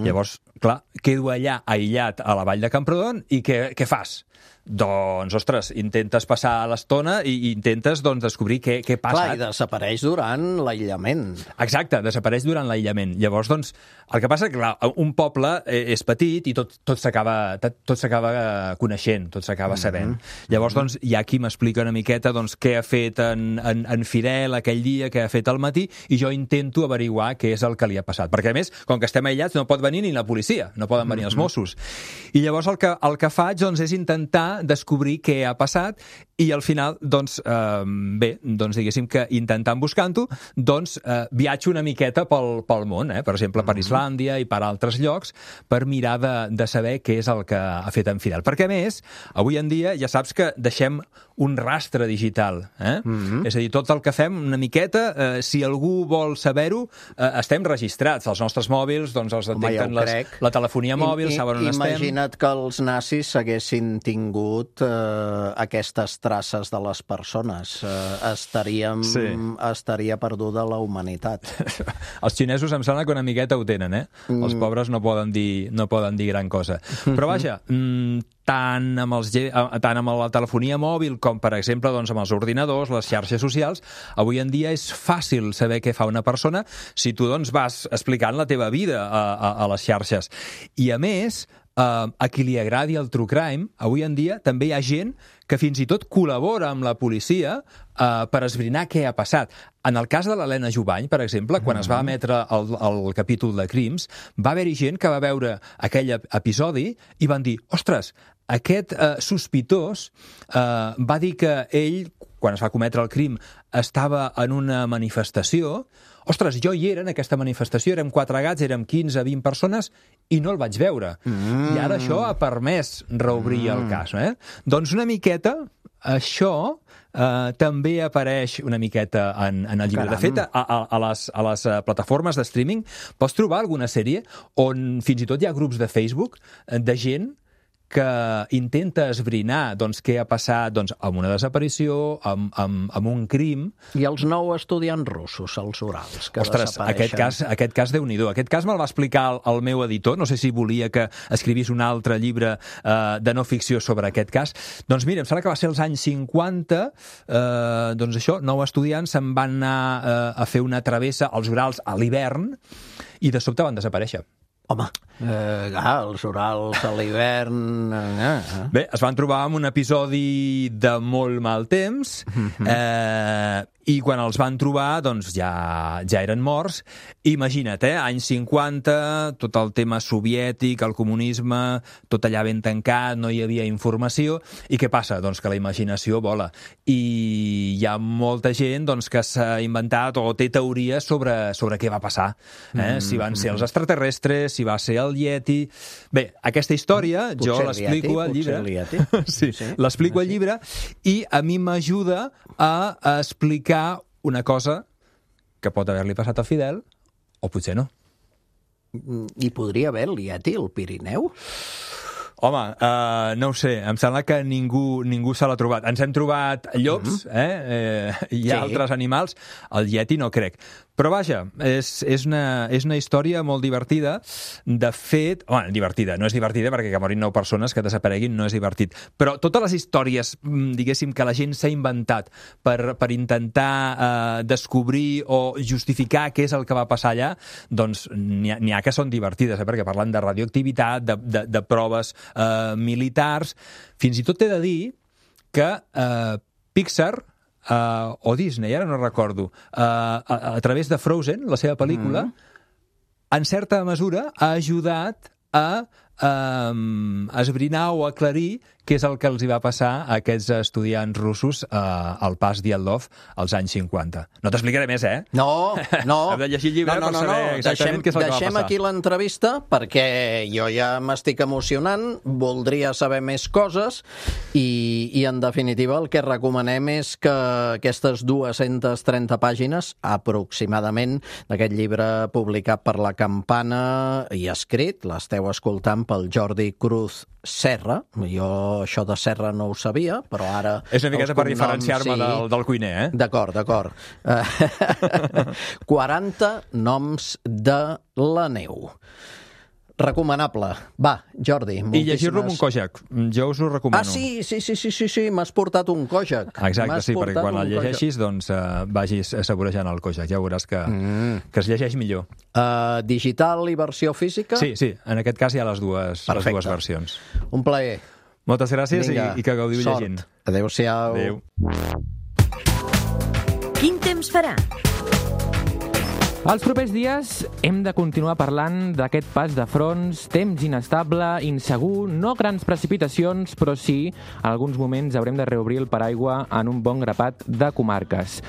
Llavors, clar, quedo allà aïllat a la vall de Camprodon i què fas? Doncs, ostres, intentes passar l'estona i intentes descobrir què passa. Clar, i desapareix durant l'aïllament. Exacte, desapareix durant l'aïllament. Llavors, doncs, el que passa és que, clar, un poble és petit i tot s'acaba coneixent, tot s'acaba sabent. Llavors, doncs, hi ha qui m'explica una miqueta què ha fet en Fidel aquell dia, què ha fet al matí, i jo intento averiguar què és el que li ha passat. Perquè, a més, com que estem aïllats, no pot venir ni la policia, no poden venir els Mossos. I llavors el que faig és intentar descobrir què ha passat i al final, diguéssim que intentant buscant-ho, viatjo una miqueta pel món, per exemple, per Islàndia i per altres llocs, per mirar de saber què és el que ha fet en Fidel. Perquè, a més, avui en dia ja saps que deixem un rastre digital. És a dir, tot el que fem una miqueta, si algú vol saber-ho, estem registrats. Els nostres mòbils els detecten la telefonia mòbil, saben on estem. Imagina't que els nazis haguessin tingut aquestes traces de les persones. Estaria perduda la humanitat. Els xinesos em sembla que una miqueta ho tenen, Els pobres no poden dir gran cosa. Però vaja, tant amb la telefonia mòbil com, per exemple, amb els ordinadors, les xarxes socials, avui en dia és fàcil saber què fa una persona si tu vas explicant la teva vida a les xarxes. I, a més, a qui li agradi el true crime, avui en dia també hi ha gent que fins i tot col·labora amb la policia per esbrinar què ha passat. En el cas de l'Helena Jubany, per exemple, quan es va emetre el capítol de Crims, va haver-hi gent que va veure aquell episodi i van dir, ostres, aquest sospitós va dir que ell, quan es va cometre el crim, estava en una manifestació. Ostres, jo hi era en aquesta manifestació, érem 4 gats, érem 15, 20 persones, i no el vaig veure. I ara això ha permès reobrir el cas. Doncs una miqueta, això també apareix una miqueta en el llibre. De fet, a les plataformes de streaming pots trobar alguna sèrie on fins i tot hi ha grups de Facebook de gent que intenta esbrinar què ha passat amb una desaparició, amb un crim. I els 9 estudiants russos, els Urals, que desapareixen. Aquest cas Déu-n'hi-do. Aquest cas me'l va explicar el meu editor, no sé si volia que escrivís un altre llibre de no ficció sobre aquest cas. Doncs mira, em sembla que va ser als anys 50, 9 estudiants se'n van anar a fer una travessa als Urals a l'hivern i de sobte van desaparèixer. Home, els Urals a l'hivern... Bé, es van trobar amb un episodi de molt mal temps i quan els van trobar ja eren morts. Imagina't, anys 50, tot el tema soviètic, el comunisme, tot allà ben tancat, no hi havia informació. I què passa? Doncs que la imaginació vola. I hi ha molta gent que s'ha inventat o té teories sobre què va passar. Si van ser els extraterrestres, si va ser el Yeti... Bé, aquesta història jo l'explico al llibre. Sí, l'explico al llibre i a mi m'ajuda a explicar una cosa que pot haver-li passat a Fidel o potser no. I podria haver el Yeti al Pirineu? Home, no ho sé, em sembla que ningú se l'ha trobat. Ens hem trobat llops, hi ha altres animals, el Yeti no crec. Però vaja, és una història molt divertida. De fet, divertida, no és divertida perquè que morin 9 persones, que desapareguin, no és divertit. Però totes les històries, diguéssim, que la gent s'ha inventat per intentar descobrir o justificar què és el que va passar allà, doncs n'hi ha que són divertides, perquè parlen de radioactivitat, de proves militars. Fins i tot t'he de dir que Pixar o Disney, ara no recordo, a través de Frozen, la seva pel·lícula, en certa mesura ha ajudat a esbrinar o aclarir què és el que els hi va passar a aquests estudiants russos al pas Diatlov als anys 50. No t'explicaré més, eh? No. Hem de llegir el llibre per saber exactament què és el que va passar. Deixem aquí l'entrevista perquè jo ja m'estic emocionant, voldria saber més coses i en definitiva el que recomanem és que aquestes 230 pàgines aproximadament d'aquest llibre publicat per La Campana i escrit, l'esteu escoltant pel Jordi Cruz Serra. Jo això de Serra no ho sabia, però ara... És una miqueta per diferenciar-me del cuiner, eh? D'acord. 40 noms de la neu. Recomanable. Va, Jordi, moltíssimes... I llegir-lo amb un Kojak. Jo us ho recomano. Sí, m'has portat un Kojak. Exacte, sí, perquè quan el llegeixis doncs vagis saborejant el Kojak. Ja veuràs que es llegeix millor. Digital i versió física? Sí, en aquest cas hi ha les dues versions. Un plaer. Moltes gràcies i que gaudiu llegint. Adéu-siau. Adéu. Quin temps farà? Els propers dies hem de continuar parlant d'aquest pas de fronts, temps inestable, insegur, no grans precipitacions, però sí, en alguns moments haurem de reobrir el paraigua en un bon grapat de comarques.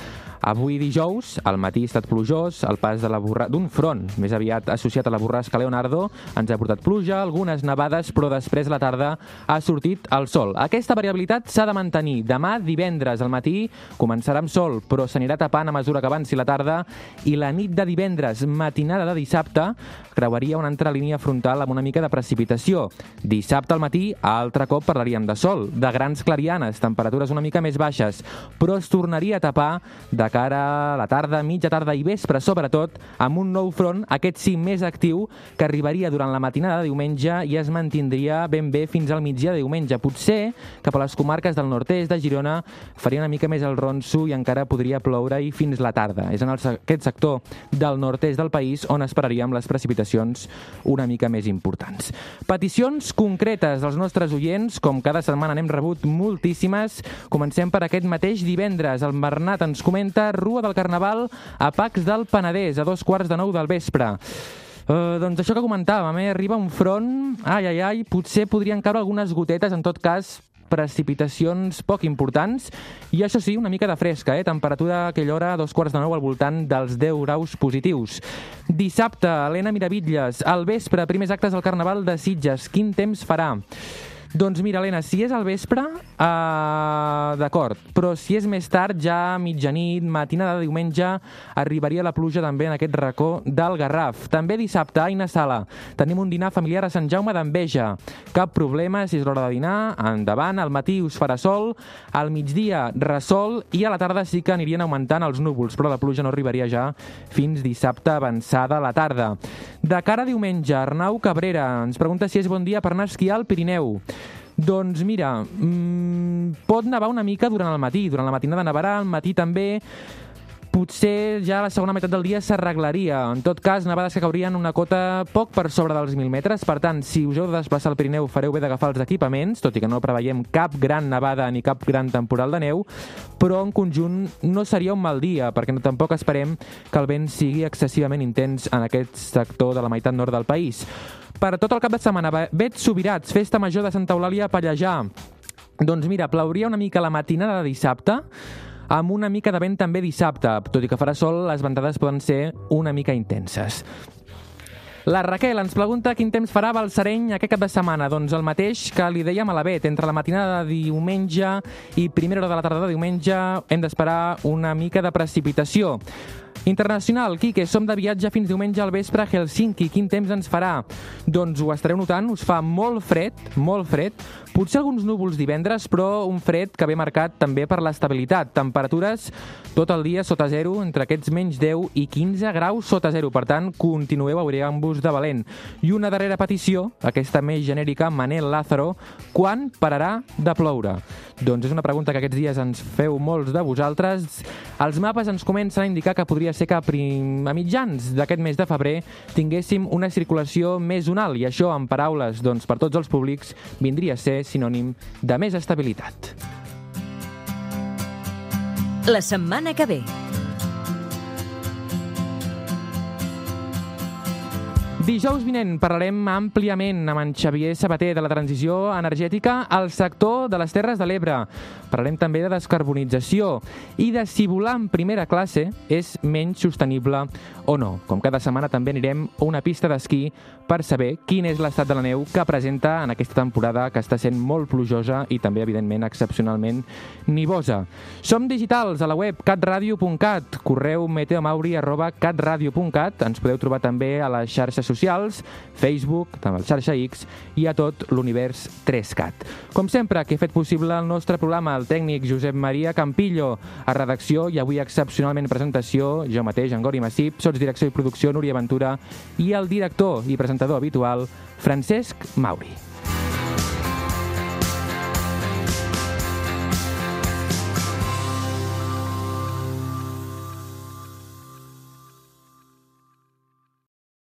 Avui dijous, al matí ha estat plujós, el pas d'un front més aviat associat a la borrasca Leonardo ens ha portat pluja, algunes nevades, però després a la tarda ha sortit el sol. Aquesta variabilitat s'ha de mantenir. Demà, divendres, al matí, començarà amb sol, però s'anirà tapant a mesura que avanci la tarda i la nit de divendres, matinada de dissabte, creuaria una altra línia frontal amb una mica de precipitació. Dissabte al matí, altre cop parlaríem de sol, de grans clarianes, temperatures una mica més baixes, però es tornaria a tapar de cara a la tarda, mitja tarda i vespre, sobretot, amb un nou front, aquest sí més actiu, que arribaria durant la matinada de diumenge i es mantindria ben bé fins al migdia de diumenge. Potser cap a les comarques del nord-est de Girona faria una mica més el ronso i encara podria ploure-hi fins la tarda. És en aquest sector del nord-est del país on esperaríem les precipitacions una mica més importants. Peticions concretes dels nostres oients, com cada setmana n'hem rebut moltíssimes. Comencem per aquest mateix divendres. El Bernat ens comenta Rua del Carnaval a Pacs del Penedès, a 8:45 del vespre. Doncs això que comentàvem, arriba un front, potser podrien caure algunes gotetes, en tot cas precipitacions poc importants, i això sí, una mica de fresca, temperatura a aquella hora, a 8:45 al voltant dels 10 graus positius. Dissabte, Helena Miravitlles, al vespre, primers actes del Carnaval de Sitges. Quin temps farà? Doncs mira, Helena, si és al vespre, d'acord, però si és més tard, ja mitjanit, matinada de diumenge, arribaria la pluja també en aquest racó del Garraf. També dissabte, Aina Sala, tenim un dinar familiar a Sant Jaume d'Enveja. Cap problema, si és l'hora de dinar, endavant, al matí us farà sol, al migdia ressol i a la tarda sí que anirien augmentant els núvols, però la pluja no arribaria ja fins dissabte avançada a la tarda. De cara a diumenge, Arnau Cabrera ens pregunta si és bon dia per anar a esquiar al Pirineu. Doncs mira, pot nevar una mica durant el matí, durant la matinada nevarà, al matí també, potser ja a la segona meitat del dia s'arreglaria. En tot cas, nevades que caurien una cota poc per sobre dels 1.000 metres, per tant, si us heu de desplaçar al Pirineu fareu bé d'agafar els equipaments, tot i que no preveiem cap gran nevada ni cap gran temporal de neu, però en conjunt no seria un mal dia, perquè tampoc esperem que el vent sigui excessivament intens en aquest sector de la meitat nord del país. Per tot el cap de setmana, Vets Subirats, festa major de Santa Eulàlia a Pallejà. Doncs mira, plauria una mica la matinada de dissabte, amb una mica de vent també dissabte. Tot i que farà sol, les ventades poden ser una mica intenses. La Raquel ens pregunta quin temps farà a Balsareny aquest cap de setmana. Doncs el mateix que li dèiem a la Bet. Entre la matinada de diumenge i primera hora de la tarda de diumenge hem d'esperar una mica de precipitació. Internacional, Quique, som de viatge fins diumenge al vespre a Helsinki. Quin temps ens farà? Doncs ho estareu notant, us fa molt fred, potser alguns núvols divendres, però un fred que ve marcat també per l'estabilitat. Temperatures tot el dia sota zero, entre aquests menys 10 i 15 graus sota zero. Per tant, continueu abrigant-vos de valent. I una darrera petició, aquesta més genèrica, Manel Lázaro, quan pararà de ploure? Doncs és una pregunta que aquests dies ens feu molts de vosaltres. Els mapes ens comencen a indicar que podria ser que a mitjans d'aquest mes de febrer tinguéssim una circulació més zonal, i això, en paraules per tots els públics, vindria a ser sinònim de més estabilitat. la setmana que ve. Dijous vinent parlarem àmpliament amb en Xavier Sabater de la transició energètica al sector de les Terres de l'Ebre. Parlarem també de descarbonització i de si volar en primera classe és menys sostenible o no. Com cada setmana també anirem a una pista d'esquí per saber quin és l'estat de la neu que presenta en aquesta temporada que està sent molt plujosa i també, evidentment, excepcionalment nivosa. Som digitals a la web catradio.cat, correu meteomauri@catradio.cat. Ens podeu trobar també a les xarxes socials, Facebook, també al xarxa X i a tot l'univers 3CAT. Com sempre, que he fet possible el nostre programa, el tècnic Josep Maria Campillo, a redacció i avui excepcionalment presentació, jo mateix, en Gori Massip, sotsdirecció i producció, Núria Ventura, i el director i presentador habitual, Francesc Mauri.